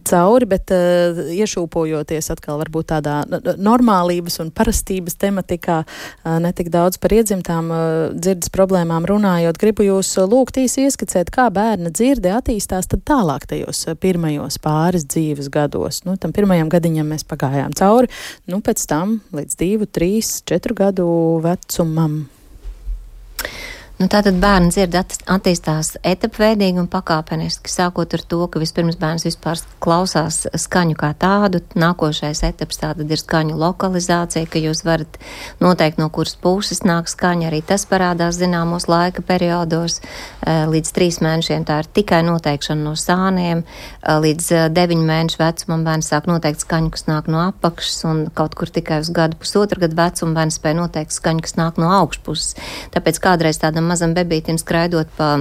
cauri, bet uh, iešūpojoties atkal varbūt tādā normālības un parastības tematikā, uh, netik daudz par iedzimtām uh, dzirdes problēmām runājot, gribu jūs lūgt īsi ieskicēt, kā bērna dzirde attīstās tad tālāk tajos uh, pirmajos pirmajos pāris dzīves gados. Nu, tam pirmajam gadiņam mēs pagājām cauri, nu, pēc tam līdz divu, trīs, četru gadu vecumam. Nu, tātad bērna dzirde attīstās etapveidīgi un pakāpeniski, sākot ar to, ka vispirms bērns vispār klausās skaņu kā tādu. Nākošais etaps tātad ir skaņu lokalizācija, ka jūs varat noteikt, no kuras puses nāk skaņa. Arī tas parādās zināmos laika periodos. Līdz trīs mēnešiem tā ir tikai noteikšana no sāniem. Līdz deviņu mēnešu vecumam bērns sāk noteikt skaņu, kas nāk no apakšas, un kaut kur tikai uz gadu pusotru gadu vecumu bērns spēj noteikt skaņu, kas nāk no augšpuses. Tāpēc kādreiz tādam mazam bebītim skraidot pa,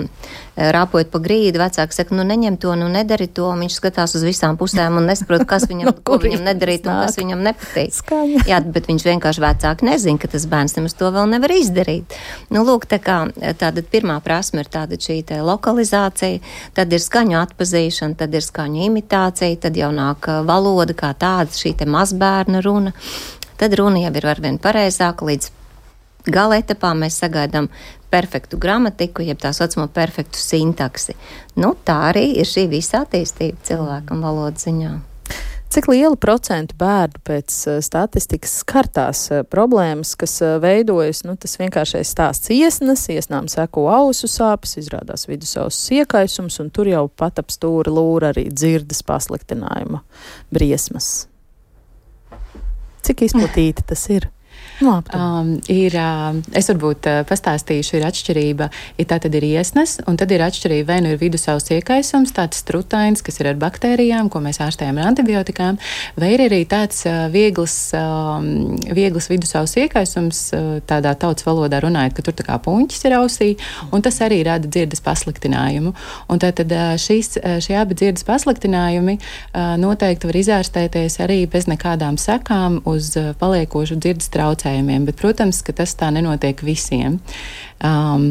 rāpojot pa grīdu, vecāki saka, nu neņem to, nu nedari to, un viņš skatās uz visām pusēm un nesaprot, kas viņam, no ko viņam nedarīt un kas viņam nepatīk. Skaņa. Jā, bet viņš vienkārši vecāki nezina, ka tas bērns nemaz to vēl nevar izdarīt. Nu, lūk, tā kā tāda pirmā prasme ir tāda šī te lokalizācija, tad ir skaņu atpazīšana, tad ir skaņu imitācija, tad jau nāk valoda kā tāda, šī te mazbērna runa, tad runa jau ir arvien pareizāka, līdz gala etapā mēs sagaidām perfektu gramatiku, jeb tā saucamo perfektu sintaksi. Nu, tā arī ir šī visa attīstība cilvēkam valodas ziņā. Cik lielu procentu bērnu pēc statistikas skartās problēmas, kas veidojas, nu, tas vienkāršais stāsts iesnas, iesnām seko ausu sāpes, izrādās vidusauss iekaisums, un tur jau pat ap stūri lūra arī dzirdes pasliktinājuma briesmas. Cik izplatīti tas ir? No, um, ir, uh, es varbūt uh, pastāstīšu, ir atšķirība, ja tā tad ir iesnas, un tad ir atšķirība, vai nu ir vidusauss iekaisums, tāds strutains, kas ir ar baktērijām, ko mēs ārstējam ar antibiotikām, vai ir arī tāds uh, viegls, uh, viegls vidusauss iekaisums, uh, tādā tautas valodā runājot, ka tur tā kā puņķis ir ausī, un tas arī rada dzirdes pasliktinājumu. Un tātad uh, šīs, šie abi dzirdes pasliktinājumi uh, noteikti var izārstēties arī bez nekādām sekām uz uh, paliekošu dzirdes traucējumu. Bet, protams, ka tas tā nenotiek visiem. Um,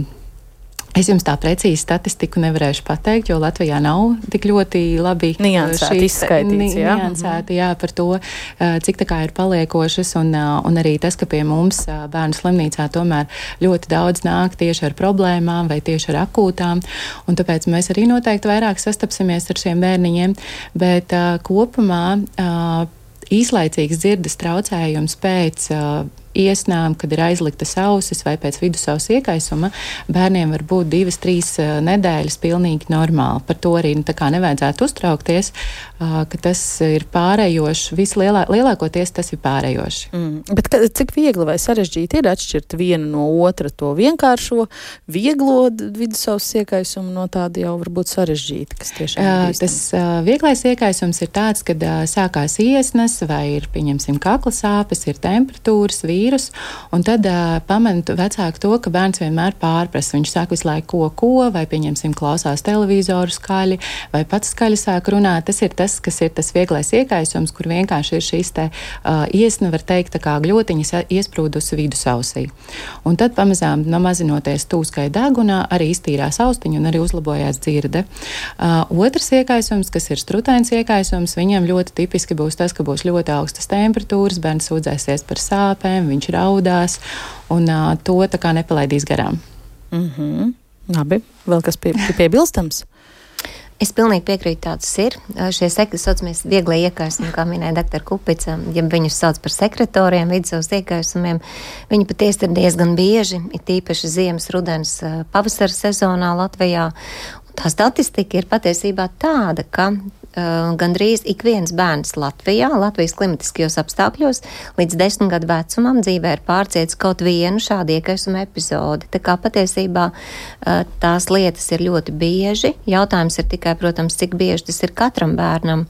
es jums tā precīzi statistiku nevarēšu pateikt, jo Latvijā nav tik ļoti labi niansēti izskaitīts, jā. Niansēti, jā, par to, cik tā kā ir paliekošas, un, un arī tas, ka pie mums bērnu slimnīcā tomēr ļoti daudz nāk tieši ar problēmām vai tieši ar akūtām, un tāpēc mēs arī noteikti vairāk sastapsimies ar šiem bērniņiem, bet uh, kopumā uh, īslaicīgs dzirdes traucējums pēc uh, iesnām, kad ir aizliktas ausis vai pēc vidusauss iekaisuma, bērniem var būt divas, trīs uh, nedēļas pilnīgi normāli. Par to arī tā kā nevajadzētu uztraukties, uh, ka tas ir pārējoši, vislielā, lielākoties tas ir pārējoši. Mm. Bet ka, cik viegli vai sarežģīti ir atšķirt vienu no otra to vienkāršo, vieglo vidusauss iekaisumu no tāda jau varbūt sarežģīti, kas tiešām uh, bīstams? Tas uh, vieglais iekaisums ir tāds, kad uh, sākās iesnas vai ir, pieņemsim, kakla sāpes, ir temperatūras, vīrus, un tad uh, pamantu vecāku to, ka bērns vienmēr pārprasa. Viņš sāk visu laiku ko, ko, vai, pieņemsim, klausās televizoru skaļi, vai pats skaļi sāk runāt. Tas ir tas, kas ir tas vieglais iekaisums, kur vienkārši ir šīs te uh, iesna, var teikt, tā kā gļotiņas iesprūdusi vidusausī. Un tad pamazām nomazinoties tūskai degunā, arī iztīrās austiņu un arī uzlabojās dzirde. Uh, otrs iekaisums, kas ir strutains iekaisums, viņam ļoti tipiski būs tas, ka būs ļoti augstas temperatūras, bērns sūdzēsies par sāpēm, viņš raudās, un uh, to tā kā nepalaidīs garām. Mm-hmm. Labi, vēl kas pie, piebilstams? Es pilnīgi piekrītu, tāds ir. Šie sekri saucamies vieglie iekaisumi, kā minēja doktora Kupica, ja viņus sauc par sekretoriem, vidusauss iekaisumiem. Viņi patiesi ir diezgan bieži, ir tīpaši ziemas, rudens, pavasara sezonā Latvijā. Tā statistika ir patiesībā tāda, ka uh, gandrīz ik viens bērns Latvijā, Latvijas klimatiskajos apstākļos, līdz desmit gadu vecumam dzīvē ir pārcietis kaut vienu šādu iekaisuma epizodi. Tā kā patiesībā uh, tās lietas ir ļoti bieži. Jautājums ir tikai, protams, cik bieži tas ir katram bērnam.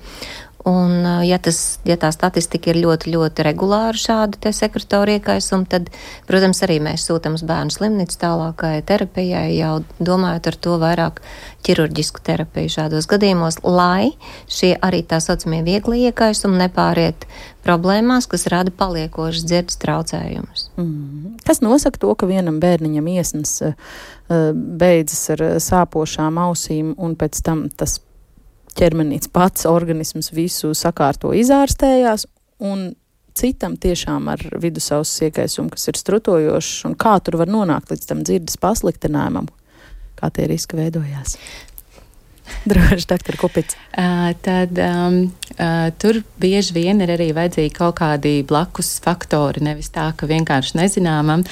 Un, ja, tas, ja tā statistika ir ļoti, ļoti regulāra šādu te sekretoru iekaisumu, tad, protams, arī mēs sūtam uz bērnu slimnīcu tālākai terapijai, jau domājot ar to vairāk ķirurģisku terapiju šādos gadījumos, lai šie arī tā saucamie viegli iekaisumi nepāriet problēmās, kas rada paliekošas dzirdes traucējumus. Mm. Kas nosaka to, ka vienam bērniņam iesnas uh, beidzas ar sāpošām ausīm un pēc tam tas ķermenīts pats organisms visu sakārto izārstējās, un citam tiešām ar vidusauss iekaisumu, kas ir strutojošs, un kā tur var nonākt līdz tam dzirdes pasliktinājumam, kā tie riski veidojās? Droši, doktor Kupic. Uh, tad um, uh, tur bieži vien ir arī vajadzīgi kaut kādi blakus faktori, nevis tā, ka vienkārši nezināmam,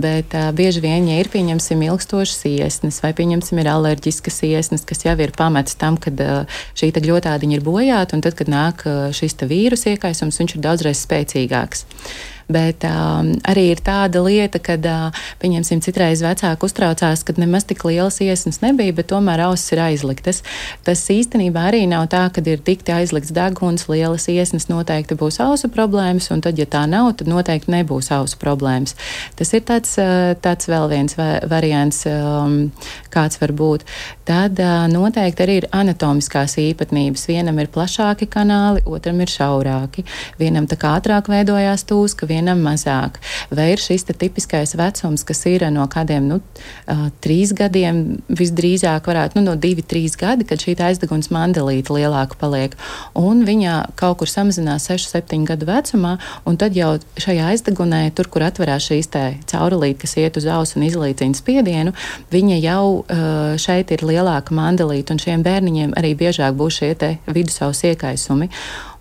bet uh, bieži vien, ja ir, pieņemsim, ilgstošas iesnas, vai, pieņemsim, ir alerģiskas iesnas, kas jau ir pamats tam, kad uh, šī te gļotādiņa ir bojāta, un tad, kad nāk uh, šis te vīrus iekaisums, viņš ir daudzreiz spēcīgāks. Bet um, arī ir tāda lieta, kad, uh, pieņemsim, citreiz vecāki uztraucās, kad nemaz tik lielas iesnas nebija, bet tomēr ausis ir aizliktas. Tas īstenībā arī nav tā, kad ir dikti aizlikts deguns, lielas iesnas, noteikti būs ausu problēmas, un tad, ja tā nav, tad noteikti nebūs ausu problēmas. Tas ir tāds, uh, tāds vēl viens va- variants, um, kāds var būt. Tad uh, noteikti arī ir anatomiskās īpatnības. Vienam ir plašāki kanāli, otram ir šaurāki. Vienam tā kā ātrāk veidojās tūs, ka vienam mazāk. Vai ir šis te tipiskais vecums, kas ir no kādiem, nu, uh, trīs gadiem, visdrīzāk varētu, nu, no divi, trīs gadi, kad šī aizdeguns mandelīte lielāka paliek. Un viņa kaut kur samazinās sešu, septiņu gadu vecumā, un tad jau šajā aizdegunē, tur, kur atverās šīs te caurulīte, kas iet uz ausu un izlīdzina spiedienu, viņa jau uh, šeit ir lielāka mandelīte, un šiem bērniņiem arī biežāk būs šie te vidusauss iekaisumi.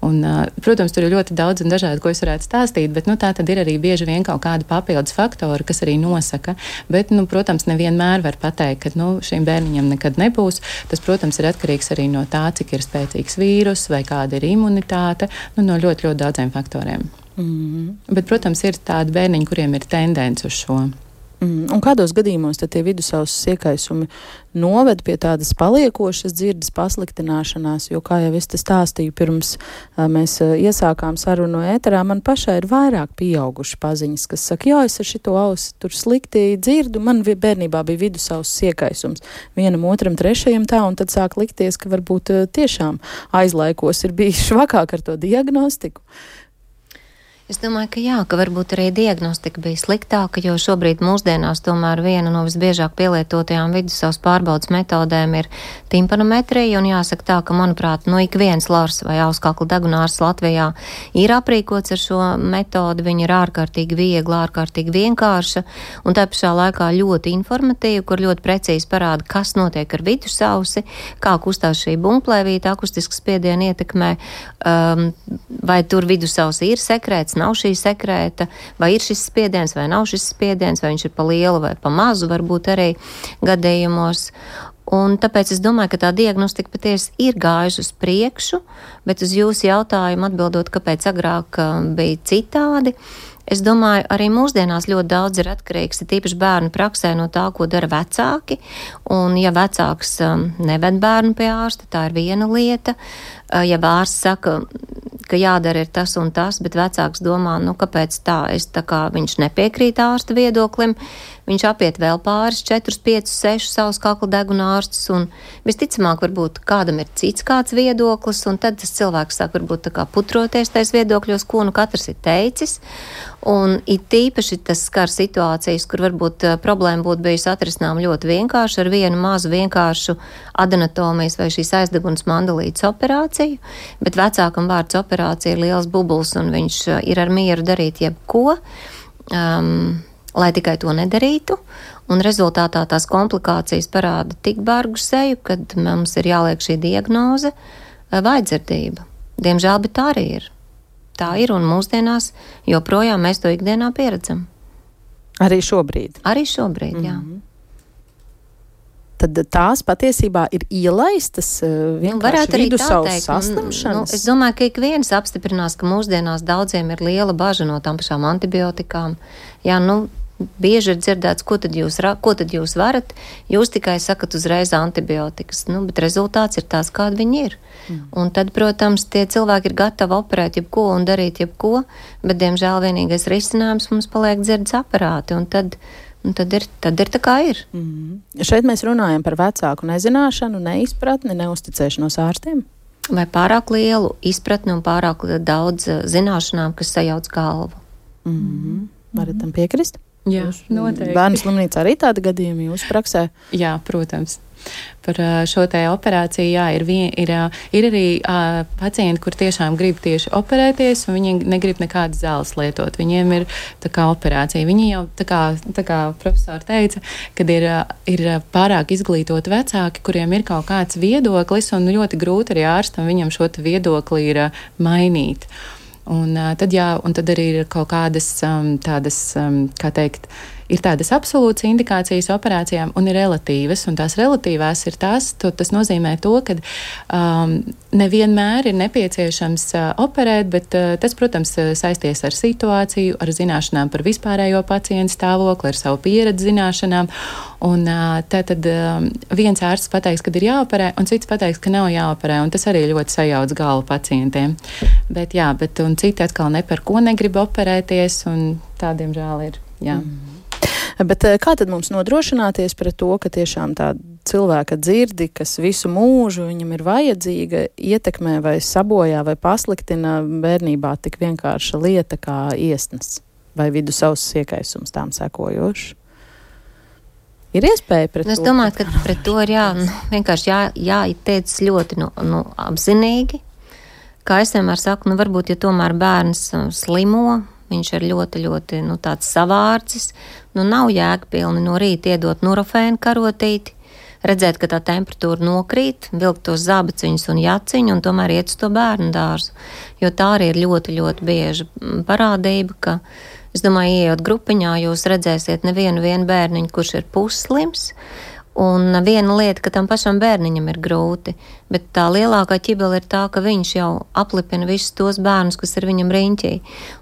Un, protams, tur ir ļoti daudz un dažādi, ko es varētu stāstīt, bet nu, tā tad ir arī bieži vien kaut kādi papildus faktori, kas arī nosaka. Bet, nu, protams, nevienmēr var pateikt, ka nu, šīm bērniņam nekad nebūs. Tas, protams, ir atkarīgs arī no tā, cik ir spēcīgs vīrus vai kāda ir imunitāte, nu, no ļoti, ļoti daudziem faktoriem. Mm-hmm. Bet, protams, ir tādi bērniņi, kuriem ir tendence uz šo. Mm, un kādos gadījumos tad tie vidusauss iekaisumi noved pie tādas paliekošas dzirdes pasliktināšanās, jo, kā jau es te stāstīju, pirms a, mēs a, iesākām sarunu ēterā, man pašai ir vairāk pieauguši paziņas, kas saka, jā, es ar šito ausi tur slikti dzirdu, man bērnībā bija vidusauss iekaisums, vienam, otram, trešajam tā, un tad sāk likties, ka varbūt a, tiešām aizlaikos ir bijis švakāk ar to diagnostiku. Es domāju, ka jā, ka varbūt arī diagnostika bija sliktāka, jo šobrīd mūsdienās tomēr viena no visbiežāk pielietotajām vidusauss pārbaudas metodēm ir timpanometrija, un jāsaka tā, ka, manuprāt, no ik viens lors vai auskakla degunārs Latvijā ir aprīkots ar šo metodi, viņa ir ārkārtīgi viegla, ārkārtīgi vienkārša, un tā pašā laikā ļoti informatīva, kur ļoti precīzi parāda, kas notiek ar vidusausi, kā kustās šī bumplēvīta akustiska spiediena ietekmē, um, vai tur vidusausi ir sekrēts, nav šī sekrēta, vai ir šis spiediens, vai nav šis spiediens, vai viņš ir pa lielu vai pa mazu, varbūt arī gadījumos. Un tāpēc es domāju, ka tā diagnostika patiesi ir gājuši uz priekšu, bet uz jūsu jautājumu atbildot, kāpēc agrāk bija citādi, es domāju, arī mūsdienās ļoti daudz ir atkarīgs, ir tīpaši bērnu praksē no tā, ko dara vecāki, un ja vecāks neved bērnu pie ārsta, tā ir viena lieta, ja ārsts saka, ka jādara ir tas un tas, bet vecāks domā, nu, kāpēc tā, es tā kā viņš nepiekrīt ārsta viedoklim, viņš apiet vēl pāris, četrus, piecus, sešus savus kakla deguna ārstus, un visticamāk varbūt kādam ir cits kāds viedoklis, un tad tas cilvēks sāk varbūt tā kā putroties tais viedokļos, ko nu katrs ir teicis, un it īpaši tas skar situācijas, kur varbūt problēma būtu bijusi atrisinām ļoti vienkārši ar vienu mazu vienkāršu adenotomijas vai šīs aizdegunas mandelītes operāciju, bet vecākam vārds operācija ir liels bubuls, un viņš ir ar mieru darīt jebko, um, lai tikai to nedarītu, un rezultātā tās komplikācijas parāda tik bargu seju, kad mums ir jāliek šī diagnoze vājdzirdība. Diemžēl, bet tā arī ir. Tā ir, un mūsdienās joprojām mēs to ikdienā pieredzam. Arī šobrīd? Arī šobrīd, jā. Mm-hmm. tad tās patiesībā ir ielaistas vienkārši vidusceļa saslimšanas. Nu, es domāju, ka ik viens apstiprinās, ka mūsdienās daudziem ir liela baža no tām pašām antibiotikām. Jā, nu, bieži ir dzirdēts, ko tad jūs, ko tad jūs varat, jūs tikai sakat uzreiz antibiotikas, nu, bet rezultāts ir tās, kādi viņi ir. Mm. Un tad, protams, tie cilvēki ir gatavi operēt jebko un darīt jebko, bet, diemžēl, vienīgais risinājums mums paliek dzirdes aparāti, un tad, un tad, ir, tad ir tā kā ir. Mm. Šeit mēs runājam par vecāku nezināšanu, neizpratni, neusticēšanos ārstiem? Vai pārāk lielu izpratni un pārāk daudz zināšanām, kas sajauc galvu. Mm. Varat tam piekrist? Jā, noteikti. Bērnu slimnīca arī tāda gadījuma jūsu praksē? Jā, protams. Par šo te operāciju, jā, ir, vien, ir, ir arī uh, pacienti, kur tiešām grib tieši operēties, un viņi negrib nekādas zāles lietot. Viņiem ir tā kā operācija. Viņi jau, tā kā, tā kā profesori teica, kad ir, ir pārāk izglītoti vecāki, kuriem ir kaut kāds viedoklis, un ļoti grūti arī ārstam viņam šo te viedokli ir uh, mainīt. Un, uh, tad, jā, un tad arī ir kaut kādas um, tādas, um, kā teikt, ir tādas absolūtas indikācijas operācijām un ir relatīvas, un tās relatīvās ir tās, to, tas nozīmē to, ka um, nevienmēr ir nepieciešams uh, operēt, bet uh, tas, protams, saisties ar situāciju, ar zināšanām par vispārējo pacientu stāvokli, ar savu pieredzi zināšanām, un uh, tātad um, viens ārsts pateiks, kad ir jāoperē, un cits pateiks, ka nav jāoperē, un tas arī ļoti sajauc galvu pacientiem. Bet jā, bet un citi atkal ne par ko negrib operēties, un tādiem žēl ir, jā. Mm. Bet kā tad mums nodrošināties pret to, ka tiešām tā cilvēka dzirdi, kas visu mūžu viņam ir vajadzīga, ietekmē vai sabojā vai pasliktina bērnībā tik vienkārša lieta kā iesnas vai vidusauss iekaisums tām sekojoši? Ir iespēja pret es to? Es domāju, ka pret to ir jā, nu, vienkārši jā, jāieteic ļoti nu, nu, apzinīgi. Kā es vienmēr saku, nu varbūt, ja tomēr bērns slimo, viņš ir ļoti, ļoti nu, tāds savārdzis. Nu, nav jēgpilni no rīta iedot nurofēnu karotīti, redzēt, ka tā temperatūra nokrīt, vilkt tos zābaciņus un jaciņu un tomēr iet uz to bērnu dārzu. Jo tā arī ir ļoti, ļoti bieža parādība, ka, es domāju, ieejot grupiņā, jūs redzēsiet nevienu vienu bērniņu, kurš ir pusslims. Un viena lieta, ka tam pašam bērniņam ir grūti, bet tā lielākā ķibela ir tā, ka viņš jau aplipina visus tos bērnus, kas ir viņam riņķī.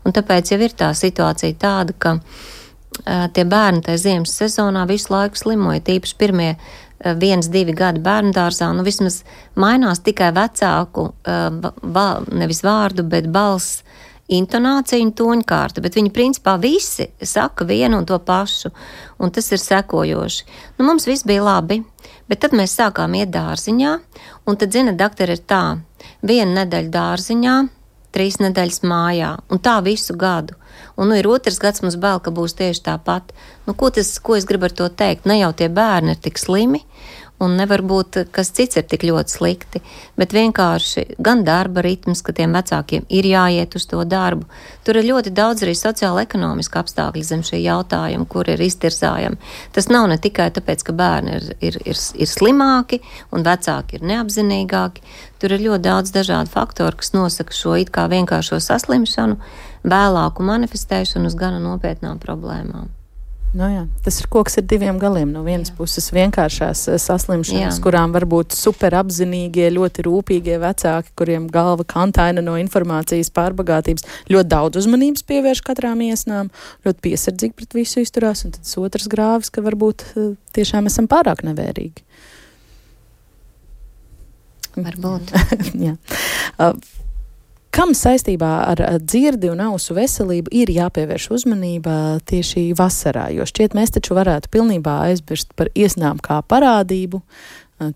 Un tāpēc jau ir tā situācija tāda, ka uh, tie bērni tajā ziemas sezonā visu laiku slimoja, tīpaši pirmie uh, viens, divi gadi bērndārzā, nu vismaz mainās tikai vecāku, uh, va, nevis vārdu, bet balss, intonācija un toņkārta, bet viņi principā visi saka vienu un to pašu, un tas ir sekojoši. Nu, mums viss bija labi, bet tad mēs sākām iet dārziņā, un tad, zina, daktori, ir tā, viena nedēļa dārziņā, trīs nedēļas mājā, un tā visu gadu. Un, nu, ir otrs gads mums bail, ka būs tieši tāpat. Nu, ko, tas, ko es gribu ar to teikt? Ne jau tie bērni ir tik slimi, un nevar būt, kas cits ir tik ļoti slikti, bet vienkārši gan darba ritms, ka tiem vecākiem ir jāiet uz to darbu. Tur ir ļoti daudz arī sociāla-ekonomiska apstākļi zem šī jautājuma, kur ir iztirzājami. Tas nav ne tikai tāpēc, ka bērni ir, ir, ir, ir slimāki un vecāki ir neapzinīgāki. Tur ir ļoti daudz dažādu faktoru, kas nosaka šo it kā vienkāršo saslimšanu, vēlāku manifestēšanu uz gana nopietnām problēmām. Nu jā, tas ir koks ar diviem galiem. No vienas jā. puses vienkāršās saslimšanas, jā. kurām var būt super apzinīgie, ļoti rūpīgie vecāki, kuriem galva kantaina no informācijas pārbagātības, ļoti daudz uzmanības pievērš katrām iesnām, ļoti piesardzīgi pret visu izturās, un tad otrs grāvis, ka varbūt tiešām esam pārāk nevērīgi. Varbūt. jā. Uh, Kam saistībā ar dzirdi un ausu veselību ir jāpievērš uzmanība tieši vasarā? Jo šķiet, mēs taču varētu pilnībā aizmirst par iesnām kā parādību.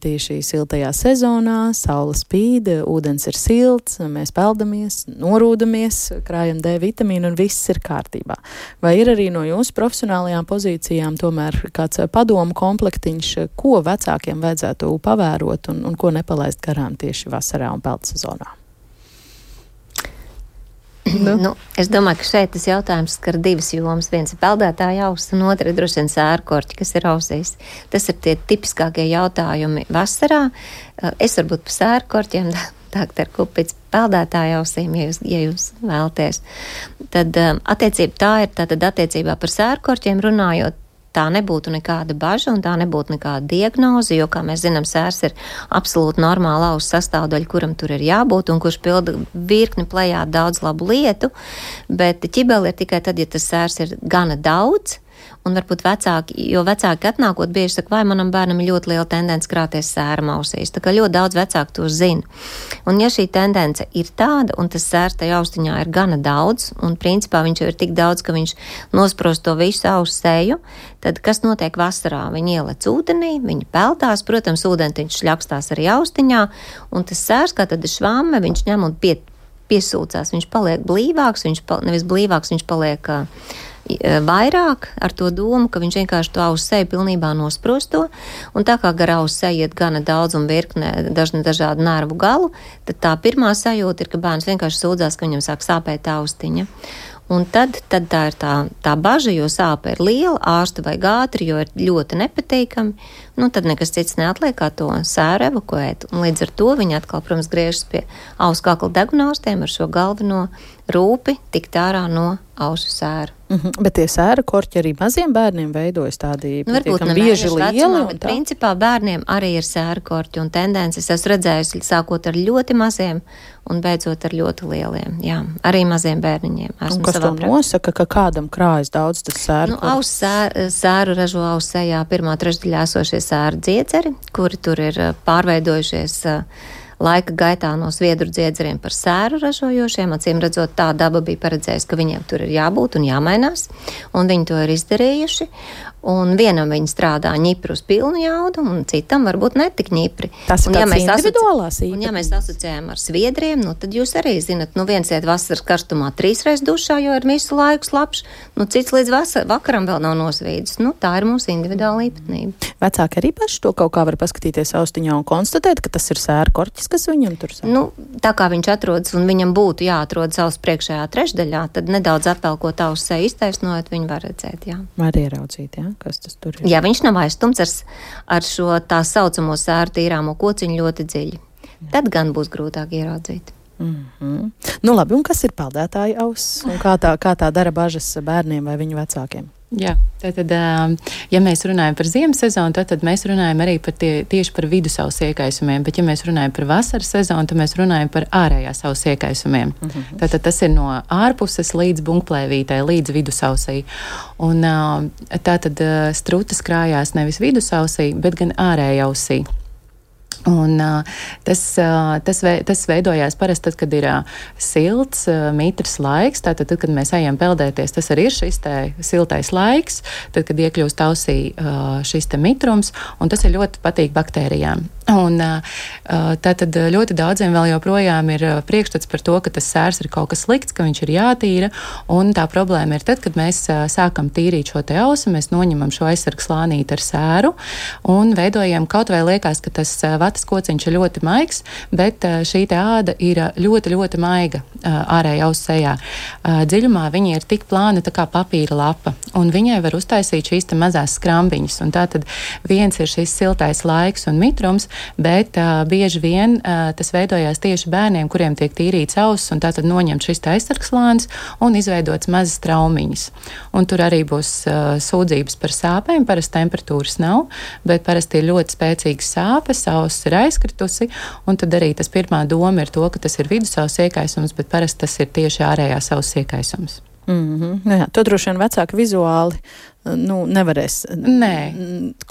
Tieši siltajā sezonā, saule spīd, ūdens ir silts, mēs peldamies, norūdamies, krājam D vitamīnu un viss ir kārtībā. Vai ir arī no jūsu profesionālajām pozīcijām tomēr kāds padomu komplektiņš, ko vecākiem vajadzētu pavērot un, un ko nepalaist garām tieši vasarā un peldu sezonā? Nu. Nu, es domāju, ka šeit tas jautājums skar divas jomas. Viens ir peldētāja auss, un otra ir droši vien sērkorķi, kas ir ausīs. Tas ir tie tipiskākie jautājumi vasarā. Es varbūt par sērkorķiem, doktor Kupits, peldētāja ausīm, ja jūs, ja jūs vēlaties. Tad attiecība tā ir, tātad attiecībā par sērkorķiem runājot, tā nebūtu nekāda baža un tā nebūtu nekāda diagnoze, jo, kā mēs zinām, sērs ir absolūti normāla auss sastāvdaļa, kuram tur ir jābūt un kurš pilda virkni plejā daudz labu lietu, bet ķibeli ir tikai tad, ja tas sērs ir gana daudz. Un varbūt vecāki, jo vecāki atnākot bieži saka, vai manam bērnam ir ļoti liela tendence krāties sēram ausīs. Tā kā ļoti daudz vecāku to zina. Un ja šī tendence ir tāda, un tas sērs tajā austiņā ir gana daudz, un principā viņš jau ir tik daudz, ka viņš nosprost to visu ausu seju, tad kas notiek vasarā? Viņi ielec ūdenī, viņi peldās, protams, ūdentiņš šļakstās arī austiņā, un tas sērs, kā tad švamme, viņš ņem un pie, piesūcās, viņš paliek blīvāks, viņš pal, nevis blīvāks, viņš paliek vairāk ar to domu, ka viņš vienkārši to ausu seju pilnībā nosprosto, un tā kā gar ausu seju iet gana daudz un virkne dažni dažādu nervu galu, tad tā pirmā sajūta ir, ka bērns vienkārši sūdzās, ka viņam sāk sāpēt austiņa. Un tad, tad tā ir tā, tā baža, jo sāpe ir liela, ārstu vajag ātri, jo ir ļoti nepatīkami, nu tad nekas cits neatliek, kā to sēru evakuēt. Un līdz ar to viņi atkal, protams, griežas pie ausu kakla degunārstiem ar šo galveno rūpi tikt ārā no ausu sēru. Mm-hmm. Bet tie sēra korķi arī maziem bērniem veidojas tādi nu, pietiekami bieži lieli. Bet principā bērniem arī ir sēra korķi un tendences. Es redzējusi sākot ar ļoti maziem un beidzot ar ļoti lieliem. Jā, arī maziem bērniņiem. Un kas to nosaka, ka kādam krājas daudz tas sēra nu, aus sēru, sēru ražo ausu sejā pirmā trešdaļā esošie sēru dziedzeri, kuri tur ir pārveidojušies laika gaitā no sviedru dziedzeriem par sēru ražojošiem. Acīm redzot, tā daba bija paredzējusi, ka viņiem tur ir jābūt un jāmainās, un viņi to ir izdarījuši. Un vienam viņi strādā ņipri uz pilnu jaudu, un citam varbūt netik ņipri. Tas ir un, ja tāds individuālās īpatnības. Un ja mēs asociējam ar sviedriem, nu tad jūs arī zinat, nu viens iet vasaras karstumā trīsreiz dušā, jo ir visu laiku slapš, nu cits līdz vasar, vakaram vēl nav nosvīdus. Nu tā ir mūsu individuāla īpatnība. Vecāki arī paši to kaut kā var paskatīties austiņā un konstatēt, ka tas ir sēra korķis, kas viņam tur sēra. Nu, tā kā viņš atrodas un viņam būtu jāatrodas auss priekšējā trešdaļā, tad nedaudz atvelkot ausu seju iztaisnojot, viņi var redzēt, jā. Var ieraudzīt, jā, kas tas tur ir. Jā, viņš nav aizstumts ar, ar šo tā saucamo sēru tīrāmo kociņu ļoti dziļi. Jā. Tad gan būs grūtāk ieraudzīt. Mm-hmm. Nu labi, un kas ir peldētāja auss? Un kā tā, kā tā dara bažas bērniem vai viņu vecākiem? Jā, tātad, ja mēs runājam par ziemas sezonu, tad, tad mēs runājam arī par tie, tieši par vidusausu iekaisumiem, bet ja mēs runājam par vasaras sezonu, tad mēs runājam par ārējās ausu iekaisumiem. Mm-hmm. Tātad tas ir no ārpuses līdz bunkplēvītei, līdz vidusausī. Un tātad strutas krājās nevis vidusausī, bet gan ārējausī. Un uh, tas, uh, tas, ve, tas veidojās parasti tad, kad ir uh, silts, uh, mitrs laiks, tātad, tad, kad mēs ejam peldēties, tas arī ir šis te siltais laiks, tad, kad iekļūst ausī uh, šis te mitrums, un tas ir ļoti patīk baktērijām. Un tātad ļoti daudziem vēl joprojām ir priekšstats par to, ka tas sērs ir kaut kas slikts, ka viņš ir jātīra, un tā problēma ir tad, kad mēs sākam tīrīt šo te ausu, mēs noņemam šo aizsargu slānīti ar sēru un veidojam, kaut vai liekas, ka tas vatas kociņš ir ļoti maigs, bet šī te āda ir ļoti, ļoti maiga ārēja ausu sejā. Dziļumā viņa ir tik plāna tā kā papīra lapa, un viņai var uztaisīt šīs te mazās skrambiņas, un tātad viens ir šis siltais laiks un mitrums, bet uh, bieži vien uh, tas veidojās tieši bērniem, kuriem tiek tīrīts auss, un tātad noņemt šis aizsargslānis un izveidots mazas traumiņas. Un tur arī būs uh, sūdzības par sāpēm, parasti temperatūras nav, bet parasti ir ļoti spēcīgas sāpes, auss ir aizkritusi, un tad arī tas pirmā doma ir to, ka tas ir vidusauss iekaisums, bet parasti tas ir tieši ārējās auss iekaisums. Mm-hmm. Jā, to droši vien vecāki vizuāli nu, nevarēs Nē.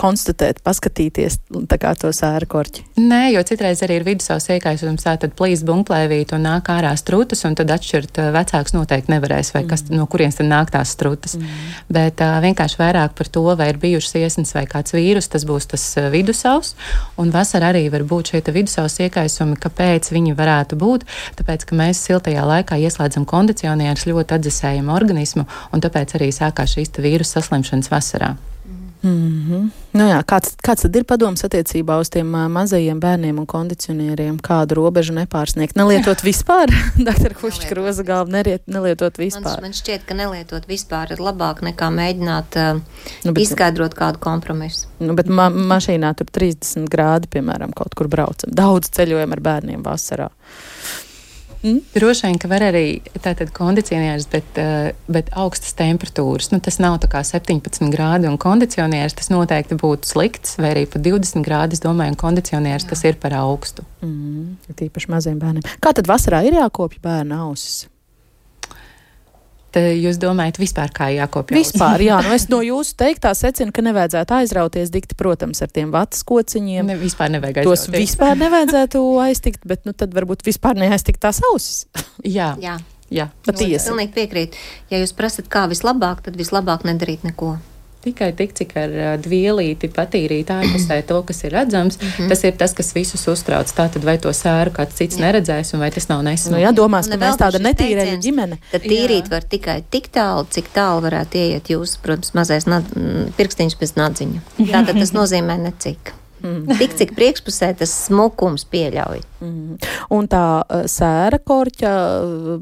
konstatēt, paskatīties tā kā to sēra korķi. Nē, jo citreiz arī ir vidusauss iekaisums, tā tad plīst bunkplēvīt un nāk ārā strutas, un tad atšķirt vecāks noteikti nevarēs, vai kas, no kurienes tad nāk tās strutas. Mm. Bet uh, vienkārši vairāk par to, vai ir bijušas iesnas vai kāds vīrus, tas būs tas vidusauss, un vasarā arī var būt šie vidusauss iekaisumi, kāpēc viņi varētu būt, tāpēc, ka mēs siltajā laikā ieslēdzam kondicionierus, ļoti atdzesējam organismu, un tāpēc arī sākās šīs vīrusu saslimšanas vasarā. Mm-hmm. Nu jā, kāds, kāds tad ir padoms attiecībā uz tiem uh, mazajiem bērniem un kondicionieriem? Kādu robežu nepārsniegt? Nelietot vispār? Doktor Kušķa-Kroza galva neriet, nelietot vispār. Man, man šķiet, ka nelietot vispār ir labāk nekā mēģināt uh, nu, bet, izskaidrot kādu kompromisu. Nu, bet ma- mašīnā tur trīsdesmit grādi, piemēram, kaut kur braucam. Daudz ceļojam ar bērniem vasarā. Mm? Droši vien, ka var arī tātad kondicionieris, bet, bet augstas temperatūras. Nu, tas nav tā kā septiņpadsmit grādi un kondicionieris, tas noteikti būtu slikts, vai arī pat divdesmit grādi, es domāju, un kondicionieris Jā. Tas ir par augstu. Mm, tīpaši maziem bērniem. Kā tad vasarā ir jākopja bērna ausis? Tad jūs domājat vispār, kā jākopja ausis? Vispār, jā. Nu es no jūsu teiktā secinu, ka nevajadzētu aizrauties dikti, protams, ar tiem vatas kociņiem. Ne, vispār nevajag aizrauties. Tos vispār nevajadzētu aiztikt, bet nu tad varbūt vispār neaiztikt tās ausis. Jā. Jā. Jā. Patiesi. Pilnīgi piekrīt. Ja jūs prasat, kā vislabāk, tad vislabāk nedarīt neko. Tikai tik, cik ar dvielīti patīrīt ārpusē to, kas ir redzams, mm-hmm. tas ir tas, kas visus uztrauc. Tātad vai to sēru kāds cits jā. Neredzēs, un vai tas nav nesmuki. Nu jā, domās, ka mēs tāda netīrēja ģimene. Tad tīrīt jā. Var tikai tik tālu, cik tālu varētu ieiet jūs, protams, mazais nad, pirkstiņš bez nadziņa. Tātad tas nozīmē necik. Mm. Tik, cik priekšpusē tas smukums pieļauj. Mm. Un tā uh, sēra korķa uh,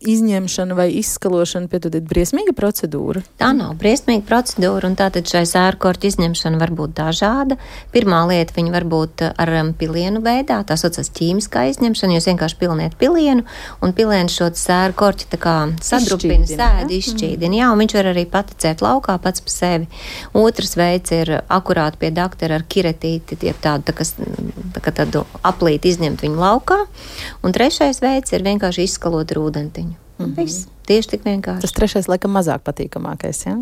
izņemšana vai izskalošana, piedodiet, briesmīga procedūra? Tā nav briesmīga procedūra, un tātad šai sēra korķa izņemšana var būt dažāda. Pirmā lieta, viņa var būt ar um, pilienu veidā, tā saucas ķīmiskā izņemšana, jūs vienkārši piliniet pilienu, un pilienu šo sēra korķa tā kā sadrupina, sēdi, izšķīdina. Mm. Jā, un viņš var arī paticēt laukā pats pa sevi. Otrs veids ir akurāt pie doktora ar kireti, tie tādu, tā, kas, tā, kā tādu aplīti izņemt viņu laukā. Un trešais veids ir vienkārši izskalot ar ūdentiņu. Mm-hmm. Viss. Tieši tik vienkārši. Tas trešais laikam mazāk patīkamākais, jā?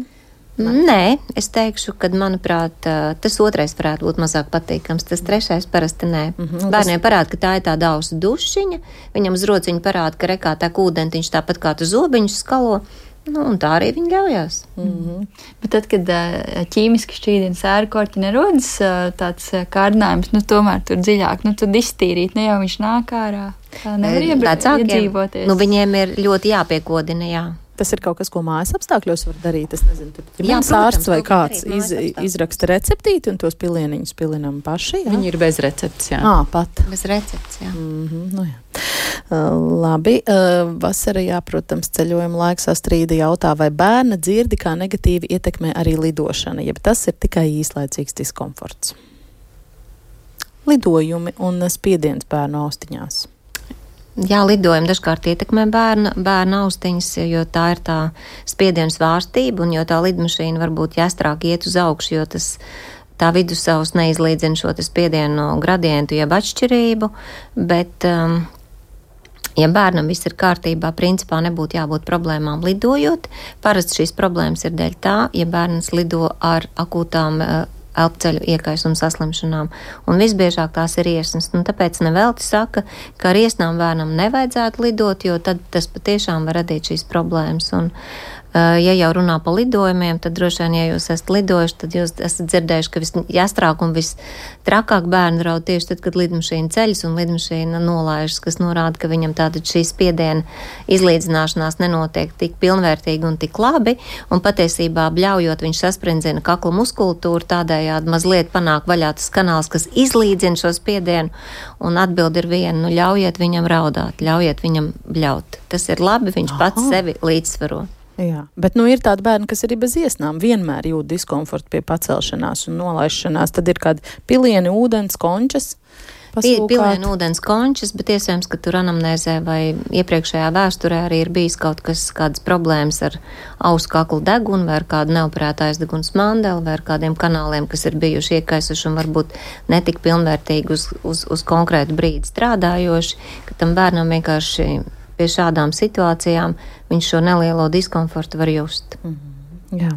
Ja? Nē, es teikšu, ka, manuprāt, tas otrais varētu būt mazāk patīkams. Tas trešais parasti nē. Mm-hmm. Bērniem parāda, ka tā ir tāda ausu dušiņa. Viņam uz rociņu parāda, ka rekā tā ūdentiņš tāpat kā tu zobiņus skalo. Nu, un tā arī viņi ļaujās. Mm-hmm. Bet tad, kad ķīmiski šķīdina sēru korķi, nerodas tāds kārdinājums, nu tomēr tur dziļāk, nu tad iztīrīt, ne jau viņš nāk ārā. Tā nevar iedzīvoties. Nu, viņiem ir ļoti jāpiekodina, jā. Tas ir kaut kas, ko mājas apstākļos var darīt. Es nezinu, tur ģimenes ārsts vai kāds iz, izraksta receptīti un tos pilieniņus pilinam paši. Jā? Viņi ir bez receptes, jā. Ā, pat. Bez receptes, jā. Mm-hmm, nu jā. Uh, labi, uh, vasarajā, protams, ceļojuma laiks Astrīda jautā, vai bērna dzirdi kā negatīvi ietekmē arī lidošana, jeb tas ir tikai īslaicīgs diskomforts. Lidojumi un spiediens bērnu austiņās. Jā, lidojumi dažkārt ietekmē bērna, bērna austiņas, jo tā ir tā spiediena svārstība, un jo tā lidmašīna varbūt jāstrāk iet uz augšu, jo tas tā vidusavs neizlīdzina šo spiedienu no gradientu jeb atšķirību, bet, um, ja bērnam viss ir kārtībā, principā nebūtu jābūt problēmām lidojot. Parasti šīs problēmas ir dēļ tā, ja bērns lido ar akūtām uh, elpceļu iekaisuma saslimšanām, un visbiežāk tās ir iesnas. Nu, tāpēc nevelti saka, ka ar iesnām bērnam nevajadzētu lidot, jo tad tas patiešām var radīt šīs problēmas. Un, uh, ja jau runā par lidojumiem, tad droši vien, ja jūs esat lidojuši, tad jūs esat dzirdējuši, ka visjāstrāk un vistrakāk bērnu raud tieši tad, kad lidmašīna ceļas un lidmašīna nolaižas, kas norāda, ka viņam tātad šī spiediena izlīdzināšanās nenotiek tik pilnvērtīgi un tik labi, un patiesībā bļaujot viņš sasprindzina kakla muskultūru, tādēļ mazliet panāk vaļā tas kanāls, kas izlīdzina šo spiedienu, un atbildi ir viena, nu ļaujiet viņam raudāt, ļaujiet viņam bļaut. Tas ir labi, viņš Aha. pats sevi līdzsvaro. Jā, bet nu ir tādi bērni, kas arī bez iesnām vienmēr jūt diskomfortu pie pacelšanās un nolaišanās, tad ir kādi pilieni, ūdens, končas. Pilienu ūdens končas, bet iespējams, ka tur anamnēzē vai iepriekšējā vēsturē arī ir bijis kaut kas, kādas problēmas ar ausu kaklu degunu vai ar kādu neoperētu aizdegunas mandeli vai ar kādiem kanāliem, kas ir bijuši iekaisuši un varbūt netik pilnvērtīgi uz, uz, uz konkrētu brīdi strādājoši, ka tam bērnam vienkārši pie šādām situācijām viņš šo nelielo diskomfortu var just. Mm-hmm. Jā.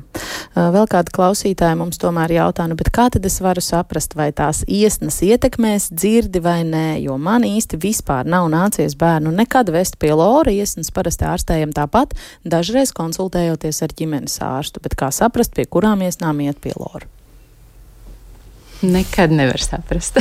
Vēl kāda klausītāja mums tomēr jautā, nu, bet kā tad es varu saprast, vai tās iesnas ietekmēs dzirdi vai nē, jo man īsti vispār nav nācies bērnu nekad vest pie lora, iesnas parasti ārstējam tāpat, dažreiz konsultējoties ar ģimenes ārstu, bet kā saprast, pie kurām iesnām iet pie lora? Nekad nevar saprast.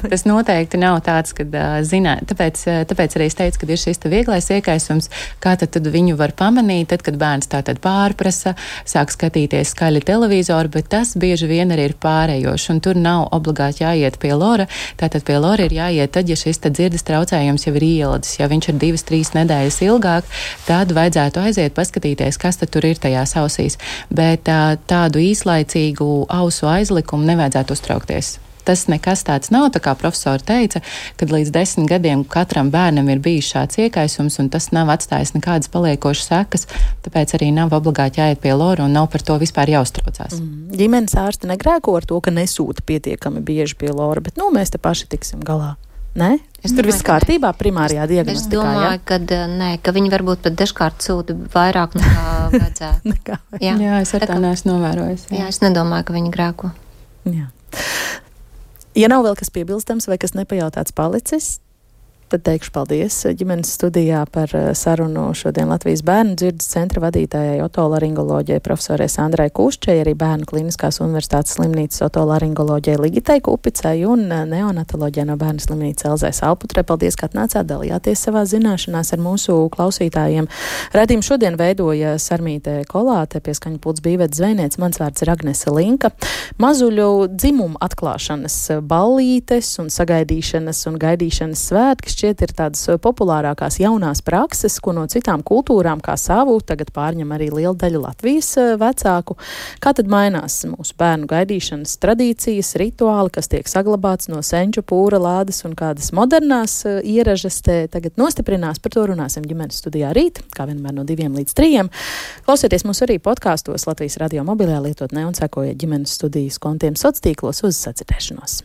Tas noteikti nav tāds, kad zināt, tāpēc, tāpēc arī es teicu, ka ir šis te vieglais iekaisums, kā tad, tad viņu var pamanīt, tad, kad bērns tātad pārprasa, sāk skatīties skaļi televizoru, bet tas bieži vien arī ir pārējoši, un tur nav obligāti jāiet pie lora, tātad pie lora ir jāiet tad, ja šis te dzirdes traucējums jau ir ieladis, ja viņš ir divas, trīs nedēļas ilgāk, tad vajadzētu aiziet paskatīties, kas tad tur ir tajās ausīs, bet tādu īslaicīgu ausu aizlikumu nevajadzētu uztraukties. tas nekas tāds nav, tā kā profesori teica, kad līdz desmit gadiem katram bērnam ir bijis šāds iekaisums, un tas nav atstājis nekādas paliekošas sekas, tāpēc arī nav obligāti jāiet pie lora un nav par to vispār jāuztraucās. Mm. Ģimenes ārsti negrēko ar to, ka nesūta pietiekami bieži pie lora, bet nu mēs te paši tiksim galā. Nē? Es Tur viss kārtībā primārijā diagnostikā, Es domāju, ja? ka nē, ka viņi varbūt pat dažkārt sūta vairāk nekā vajadzētu. Nekā. Jā, jā, es ar tā neesmu novērojis. Jā. jā, es nedomāju, ka viņi grēko. Jā. Ja nav vēl kas piebilstams vai kas nepajautāts palicis, tad teikšu paldies ģimenes studijā par sarunu šodien Latvijas bērnu dzirdes centra vadītājai otolaringoloģijai profesorai Sandrai Kuščai, arī Bērnu kliniskās universitātes slimnīcas otolaringoloģijai Ligitai Kupicai un neonatoloģijai no Bērnu slimnīcas Elzai Salputrē. Paldies, ka atnācāt, dalījāties savā zināšanās ar mūsu klausītājiem. Raidījumu šodien veidoja Sarmīte Kolāte, pie skaņu pults Bīvets Zvejniec, mans vārds ir Agnese Linka. Mazuļu dzimumu atklāšanas ballītes un sagaidīšanas un gaidīšanas svētki šķiet ir tādas populārākās jaunās prakses, ko no citām kultūrām kā savu tagad pārņem arī liela daļa Latvijas vecāku. Kā tad mainās mūsu bērnu gaidīšanas tradīcijas, rituāli, kas tiek saglabāts no senču pūra lādes un kādas modernās ieražas te tagad nostiprinās? Par to runāsim ģimenes studijā rīt, kā vienmēr no diviem līdz trījiem. Klausieties mūs arī podkāstos Latvijas radio mobilajā lietotnē un sekojiet ģimenes studijas kontiem sociālos tīklos. Uz sadzirdēšanos.